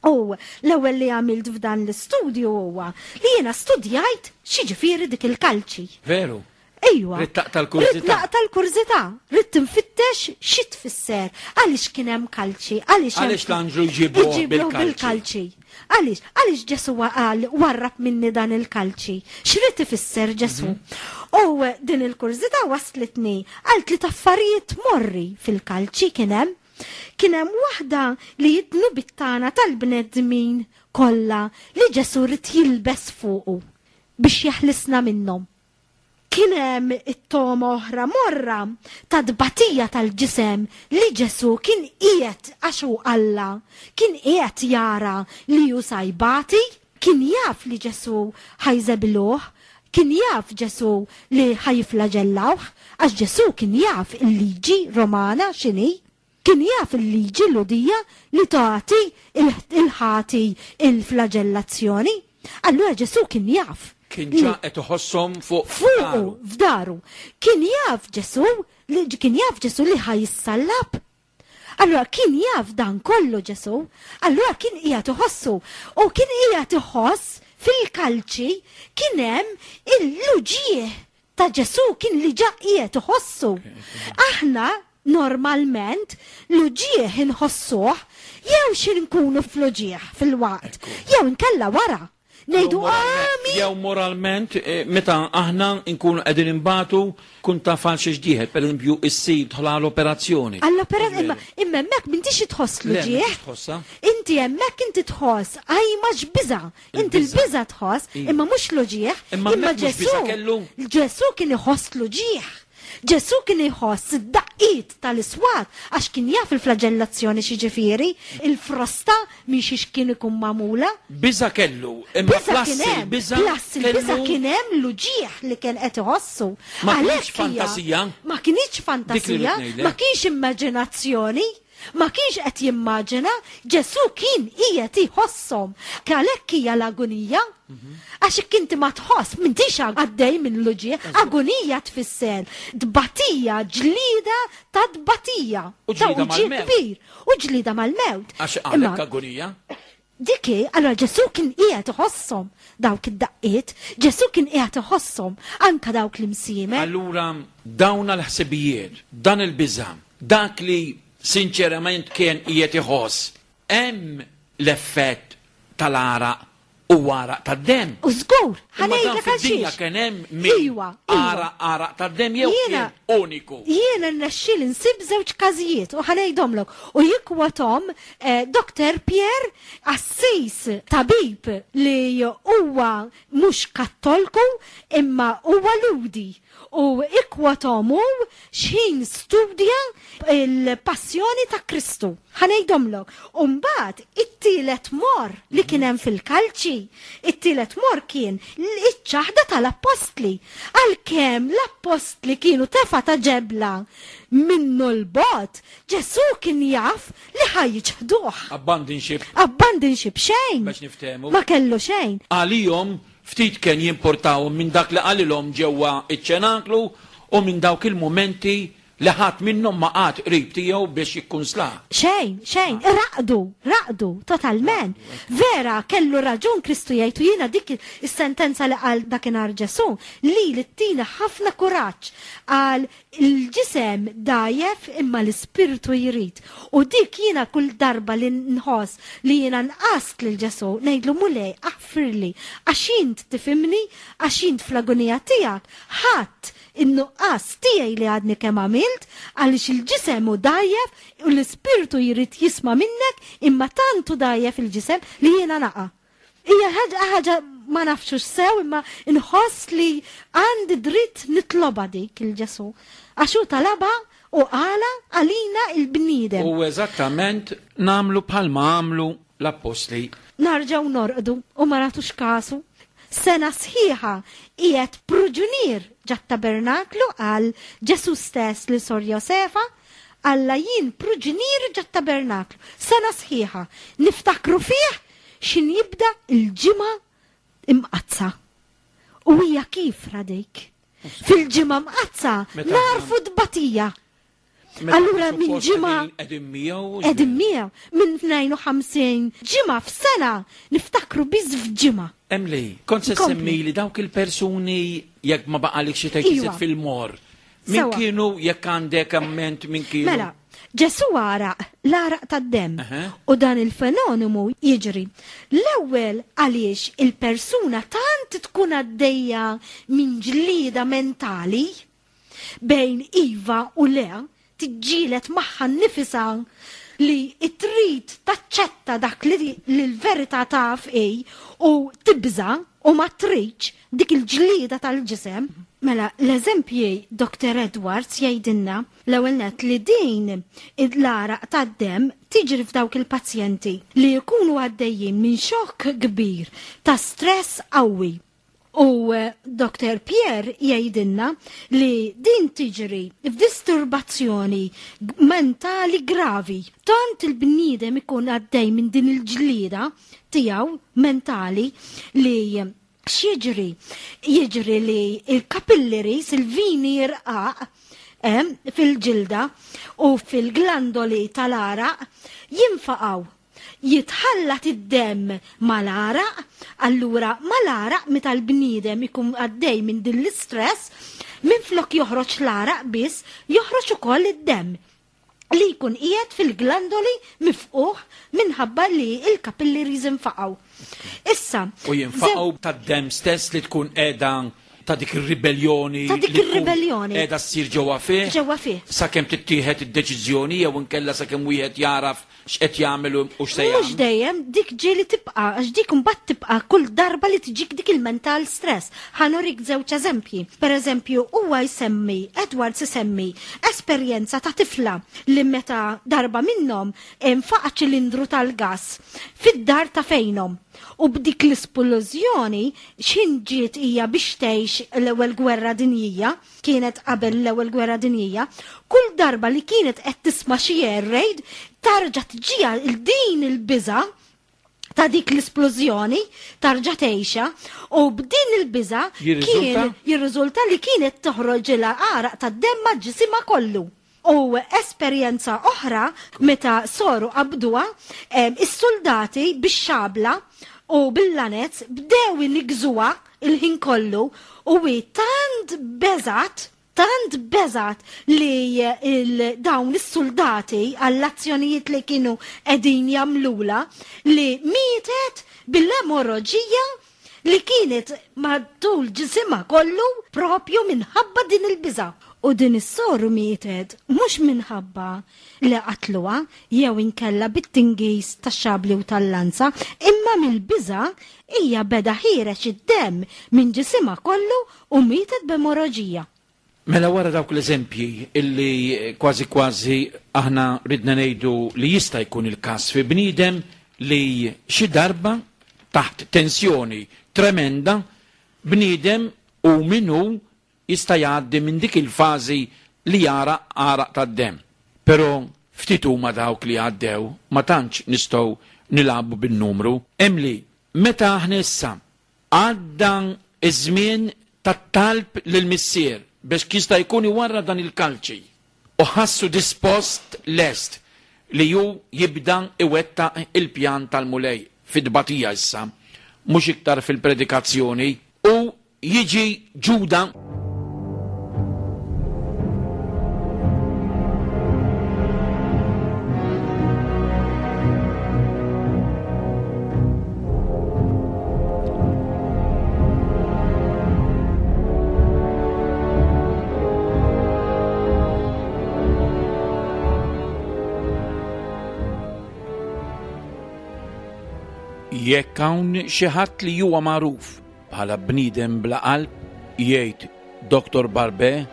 U l-ewwel li għamilt f'dan l-istudju huwa li jiena studjajt x'jiġifieri dik il-kalċi. Veru. Ejwa. Ridt taqta' l-kurżità. Ridt naqta' l-kurżità. Ridt nfittex xi tfisser. Għaliex kien hemm kalċi? Għaliex hemm- Għaliex l-anġlu jġibuh Iġibuh bil-kalċi? bil-kalċi. Għaliex? Għaliex Ġesu qal warrab minni dan il-kalċi? X'rid ifisser Ġesu? U din il-kurżità waslitni għal tliet affarijiet morri fil-kalċi kien hemm. Kien hemm waħda li d-dnubiet tagħna tal-bnedmin kollha li Ġesu rid jilbes fuqu biex jeħlisna minnhom. Kien hemm it-toma oħra morra ta' tbatija tal-ġisem li Ġesu kien qiegħed għax hu Alla, kien qiegħed jara li hu se jbati, kien jaf li Ġesu ħa jżebluh, kien jaf Ġesu li ħa jifflaġellawh, għax Ġesu kien jaf il-liġi Romana x'inhi. Kien jaf il-liġi Lhudija li tagħti il-ħati il-flagellazzjoni. Allura Ġesu kien jaf. Kien ġa qed iħosshom fuq Fuqu, daru. f'daru. Kien jaf Ġesu li kien jaf Ġesu li ħa jissallab. Allura kien jaf dan kollu Ġesu, allura kien qiegħed iħossu u kien qiegħed iħoss fil-kalċi kien hemm il-uġigħ ta' Ġesu kien li ġa qiegħed iħossu. Aħna normalment l-uġigħ inħossuh jew xi nkunu fl-uġigħ fil-waqt, jew inkella wara. Ngħidu Jew moralment- għami. Jew moralment, eh, meta aħna nkunu qegħdin imbatu kun taf għal xiex dieħel, per eżempju, issir tħol għal operazzjoni. Għall-opera, imma imma hemmhekk m'intix tħoss Le, l-uġigħ. m'intix tħossha. Inti hemmhekk inti tħoss, għajma x'biża. Inti Il-biża. l-biża tħoss, Iva. imma mhux l-uġigħ. Imma Imma hemmhekk mhux Ġesu, biża kellu? Ġesu kien iħoss l-uġigħ. Ġesu kien iħoss id-daqqiet tal-iswat għax kien jaf il-flagellazzjoni x'jiġifieri, il-frosta minn xiex kien ikun magħmula. Biża kellu, imma Biża plus kien hemm, il-biża plus il-biża kellu- kien hemm l-uġigħ li kien qed iħossu. Ma kinitx Għalhekk hija- fantasija? Ma kinitx Dik li fantasija, rrid ngħidlek. ma kienx immaġinazzjoni. Ma kienx qed jimmaġina, Ġesù kien qiegħed iħosshom. Għalhekk hija l-agunija. Għax jekk inti ma tħoss, m'intix għaddej minn l-uġigħ, agunija tfisser tbatija, ġlida ta' tbatija. U ġlida Ta' uġigħ mal-mewt. kbir. U ġlida mal-mewt. Għax Imma għalhekk agonija. Dik hi, allora Ġesù kien qiegħed iħosshom dawk id-daqqiet, Ġesù kien qiegħed iħosshom anka dawk l-imsiemer. Allura dawn l-ħsibijiet, dan il-biża', dak li sinċerament kien qiegħed iħoss, hemm l-effett tal-għaraq u għaraq tad-demm. U żgur, Imma dan ħa ngħidlek għal fid-dinja xiex. kien hemm min Iwa, iwa. għaraq għaraq tad-demm jew Jiena- kien uniku. Jiena rnexxieli nsib żewġ każijiet u ħa ngħidhomlok u jikkwotahom eh, Doktor Pierre Assis, tabib li huwa mhux kattolku imma huwa Lhudi, u ikkwotom hu x'ħin studja il-passjoni ta' Kristu. Ħa ngħidhomlok. U mbagħad it-tielet morr li kien hemm fil-kalċi, it-tielet morr kien iċ-ċaħda tal-appostli. Għalkemm l-appostli kienu tefa ta' ġebla minnu l-bot, Ġesù kien jaf li ħa jiċħduh. Abandonship. Abandonship xejn. Biex niftehmu. Ma kellu xejn. Għalihom ftit kien jimportawhom minn dak li qalilhom ġewwa iċ-ċenaklu u minn dawk il-momenti li ħadd minnhom ma qagħad qrib tiegħu biex jikkunslah. Xejn, xejn, raqdu, raqdu, totalment. Vera, kellu raġun Kristu jgħid, u jiena dik is-sentenza li qal dakinhar Ġesù, li li tina ħafna kuraġġ, għal il-ġisem dgħajjef imma l-ispirtu jrid. U dik jiena kull darba li nħoss li jiena nqast lil Ġesù, ngħidlu: "Mulej, aħfirli, għax int tifhimni, għax int fl-agonija tiegħek ħadd in-nuqqas tiegħi li għadni kemm għamilt, għaliex il-ġisem hu dgħajjef u l-ispirtu jrid jisma' minnek, imma tantu dgħajjef il-ġisem li jiena naqa'." Hija ħaġa ħaġa ma nafxux sew, imma nħoss li għandi dritt nitloba dik lil Ġesù. Għax hu talaba u qala għalina il-bniedem. U eżattament nagħmlu bħalma għamlu l-appostli. Nerġgħu norqdu u ma nagħtux kasu. Sena sħiħa qiegħed pruġunier ġat-tabernaklu, għal Ġesù stess li Sor Josefa, Alla jien pruġunier ġat-tabernaklu. Sena sħiħa. Niftakru fih xin jibda il-Ġimgħa Imqaddsa. U hija kif dik? Fil-Ġimgħa Mqaddsa Meta narfu tbatija. Meta Allura minn suppost ġimgħa qegħdin miegħu. Qegħdin miegħu minn tnejn u ħamsin ġimgħa f'sena niftakru biss f'ġimgħa. Emily, kont se Kompli. semmi li dawk il-persuni, jekk ma baqalik xi tgħid Iwa. fil-mor. Min Sewa. kienu, jekk għandek amment min kienu? Mela, Ġesù għaraq l-għaraq tad-demm Aha. u dan il-fenomenu jiġri. L-ewwel għaliex il-persuna tant tkun għaddejja minn ġlida mentali bejn iva u le, tiġġieled magħha nnifisha li trid taċċetta dak li li l-verità taf ej u tibża u ma tridx, dik il-ġlida tal-ġisem. Mela, l-eżempji, Doktor Edwards jgħidilna l-ewwel net li din l-għaraq tad-demm tiġri f'dawk il-pazjenti li jkunu għaddejjin minn xokk kbir ta' stress qawwi. U eh, Doktor Pierre jgħidilna li din tiġri f'disturbazzjoni mentali gravi. Tant il-bniedem ikun għaddej minn din il-ġlida tiegħu mentali li x'jiġri? Jiġri li il-capillaries, il-vini irqaq em, fil-ġilda u fil-glandoli tal-għaraq jinfaqgħu. Jitħallat id-demm mal-għaraq, allura mal-għaraq meta l-bniedem ikun għaddej minn din l-istress, minn flok joħroġ l-għaraq biss, joħroġ ukoll id-demm li jkun qiegħed fil-glandoli mifqugħ minħabba li il-capillaries infaqgħu. Issa, U jinfaqgħu tad-demm stess li tkun qiegħda ta' dik ir-ribellioni. Ta' dik li tkun ir-ribellioni. Qiegħda ssir ġewwa fih. Ġewwa fih. Sakemm tittieħed id-deċiżjoni jew inkella sakemm wieħed jaraf x'qed jagħmel u x'se Mhux jagħmel. dejjem, dik ġieli tibqa', għax dik mbagħad tibqa' kull darba li tiġik dik il-mental stress. Ħa nurik żewġ eżempji. Per eżempju, huwa jsemmi, Edwards isemmi, esperjenza ta' tifla li meta darba minnhom infaqa' ċilindru tal-gas fid-dar ta' fejnhom. U b'dik l-isplużjoni x'ħin ġiet hija biex tgħix l-ewwel gwerra dinjija, kienet qabel l-ewwel gwerra dinjija, kull darba li kienet qed tisma' xi air raid tarġa' tiġiha din il-biża' ta' dik l-isplużjoni tarġa' tgħixha u b'din il-biża' kien jirriżulta li kienet toħroġilha għaraq tad-demm ma' ġisimha kollu. U esperjenza oħra meta soru qabduha, is-soldati bix-xabla u bil-lanez bdew inigżuha il-ħin kollu u hi tant beżgħet, tant beżgħet li dawn is-soldati għall-azzjonijiet li kienu qegħdin jagħmlulha li mietet bil-emoroġija li kienet matul ġisimha kollu propju minħabba din il-biża'. U din is-soru mietet mhux minħabba li qatluha jew inkella bit-tingiż tax-xabli u tal-lanza, imma mill-biża' hija beda ħiereġ id-demm minn ġisimha kollu u mietet b'emoroġija. Mela wara dawk l-eżempji illi kważi kważi aħna ridna ngħidu li jista' jkun il-każ fi bniedem li xi darba taħt tensjoni tremenda bniedem u minnu jista' jgħaddi minn dik il-fażi li jara għaraq tad-demm. Però ftit huma dawk li għaddew, ma tantx nistgħu nilagħbu bin-numru. Hemm li meta aħna issa għadda iż-żmien tat-talb lill-Missier biex jista' jkun iwarra dan il-kalċi u ħassu dispost lest li ju jibda iwettaq il-pjan tal-Mulej fid-tbatija issa, mhux iktar fil-predikazzjoni, u jiġi Ġuda. Jekk hawn xi ħadd li huwa magħruf bħala bniedem bla qalb, jgħid Doktor Barbé,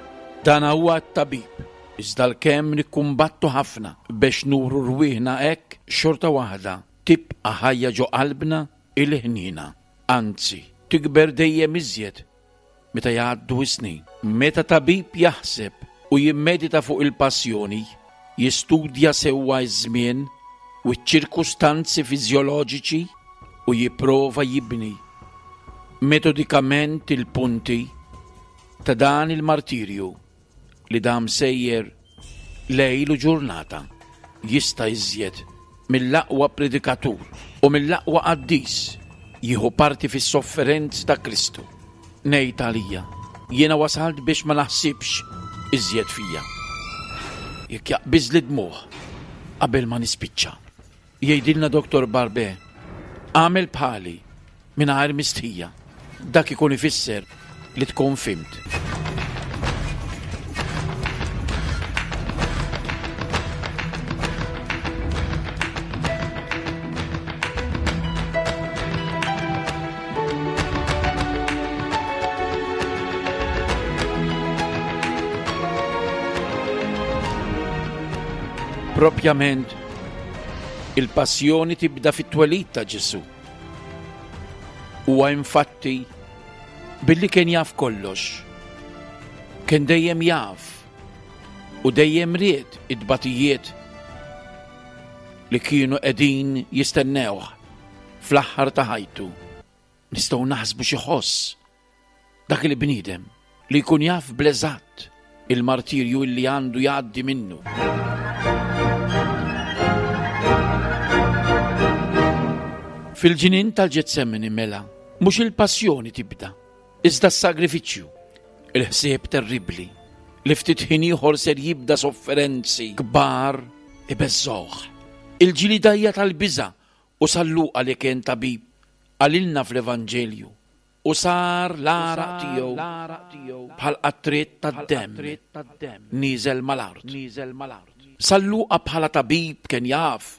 dan huwa t-tabib. Iżda l-kemm nikkumbattu ħafna biex nuru rwieħna hekk, xorta waħda tibqa' ħajja ġo qalbna il-ħniena. Anzi, tikber dejjem iżjed meta jgħaddu s-snin. Meta tabib jaħseb u jimmedita fuq il-passjoni, jistudja sewwa ż-żmien u ċ-ċirkustanzi fiżjoloġiċi u jipprova jibni metodikament il-punti ta' dan il-martirju li dam sejjer lejl u ġurnata, jista' iżjed mill-aqwa predikatur u mill-aqwa qaddis jieħu parti fis-sofferenzi ta' Kristu. Ngħid għalija, jiena wasalt biex ma naħsibx iżjed fija. Jekk jaqbiżli dmuħ qabel ma nispiċċa. Jgħidilna Doktor Barbé, għamel bħali mingħajr mistħija. Dak ikun ifisser li tkun fimt. Propjament, il-passjoni tibda fit-twelid ta' Ġesù. Huwa infatti billi kien jaf kollox, kien dejjem jaf u dejjem ried it-tbatijiet li kienu qegħdin jistennewh fl-aħħar ta' ħajtu. Nistgħu naħsbu xi ħoss dak il-bniedem li jkun jaf bl-eżatt il-martirju li għandu jgħaddi minnu. Fil-ġnien tal-Ġetsemani mela, mhux il-passjoni tibda, iżda s-sagrifiċċju, il-ħsieb terribbli li ftit ħin ieħor ser jibda sofferenzi kbar ibeżżgħuh. Il-ġilidajja tal-biża' u San Luqa li kien tabib qalilna fl-Evanġelju u sar l-għaraq tiegħu bħal qatriet tad-demm nieżel mal-art. San Luqa bħala tabib kien jaf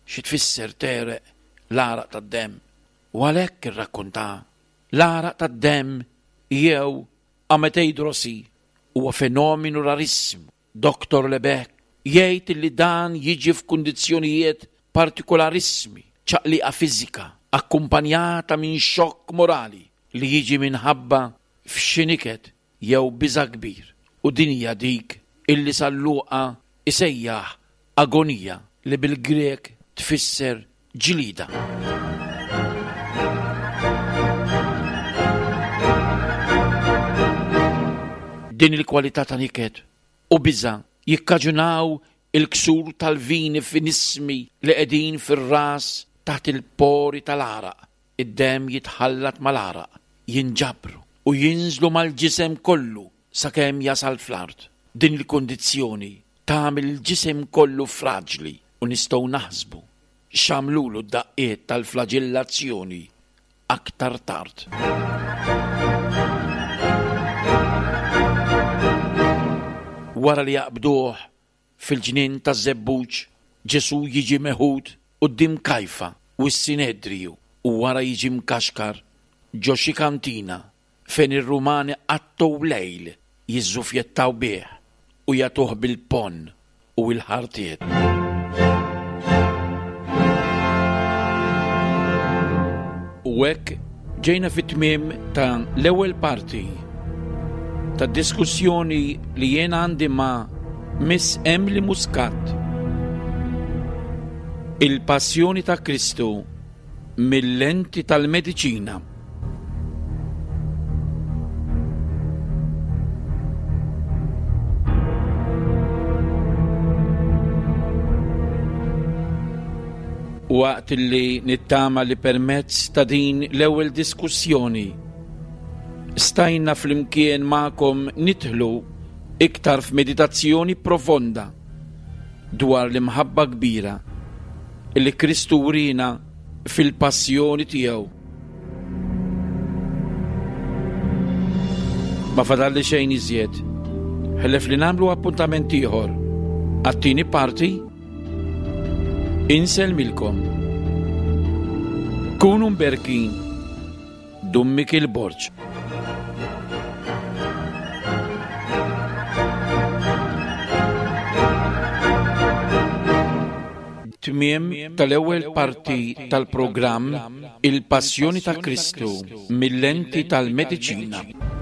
xi tfisser tereq l-għaraq tad-demm u għalhekk irrakkonta l-għaraq tad-demm jew ameteidrosi huwa fenomenu rarissimu. Doktor Lebek jgħid li dan jiġi f'kundizzjonijiet partikolarissimi, ċaqliqa fiżika, akkumpanjata minn xokk morali li jiġi minħabba f'xi niket jew biża' kbir. U din hija dik illi San Luqa isejjaħ agonija li bil-Grek tfisser ġlida. Din il-kwalità ta' niket u biża' jikkaġunaw il-ksur tal-vini finismi li qegħdin fir-ras taħt il-pori tal-għaraq. Id-demm jitħallat mal-għaraq, jinġabru u jinżlu mal-ġisem kollu sakemm jasal fl-art. Din il-kundizzjoni tagħmel il-ġisem kollu fraġli u nistgħu naħsbu x'għamlulu d-daqqiet tal-flaġillazzjoni aktar tard. Wara li jaqbduh fil-ġnien taż-Żebbuġ, Ġesù jiġi meħud quddiem Kajfa u s-Sinedriju u wara jiġi mkaxkar ġo xi kantina fejn ir-Rumani qattgħu lejl jiżżufjettaw bih u jagħtuh bil-ponn u l-ħartiet. U hekk ġejna fit-tmiem ta' l-ewwel parti ta' diskussjoni li jien għandi ma' Miss Emily Muscat. Il-Passjoni ta' Kristu mill-lenti tal-mediċina. Waqt li nittama li permezz ta' din l-ewwel diskussjoni stajna flimkien magħkom nidħlu iktar f'meditazzjoni profonda dwar l-imħabba kbira li Kristu wriena fil-passjoni tiegħu. Ma fadalli xejn iżjed, ħlef li nagħmlu appuntament ieħor għat-tieni parti. Insellmilkom. Kunu mberkin. Dun Mikiel Borg. Tmiem tal-ewwel parti tal-programm Il-Passjoni ta' Kristu mill-lenti tal-Mediċina.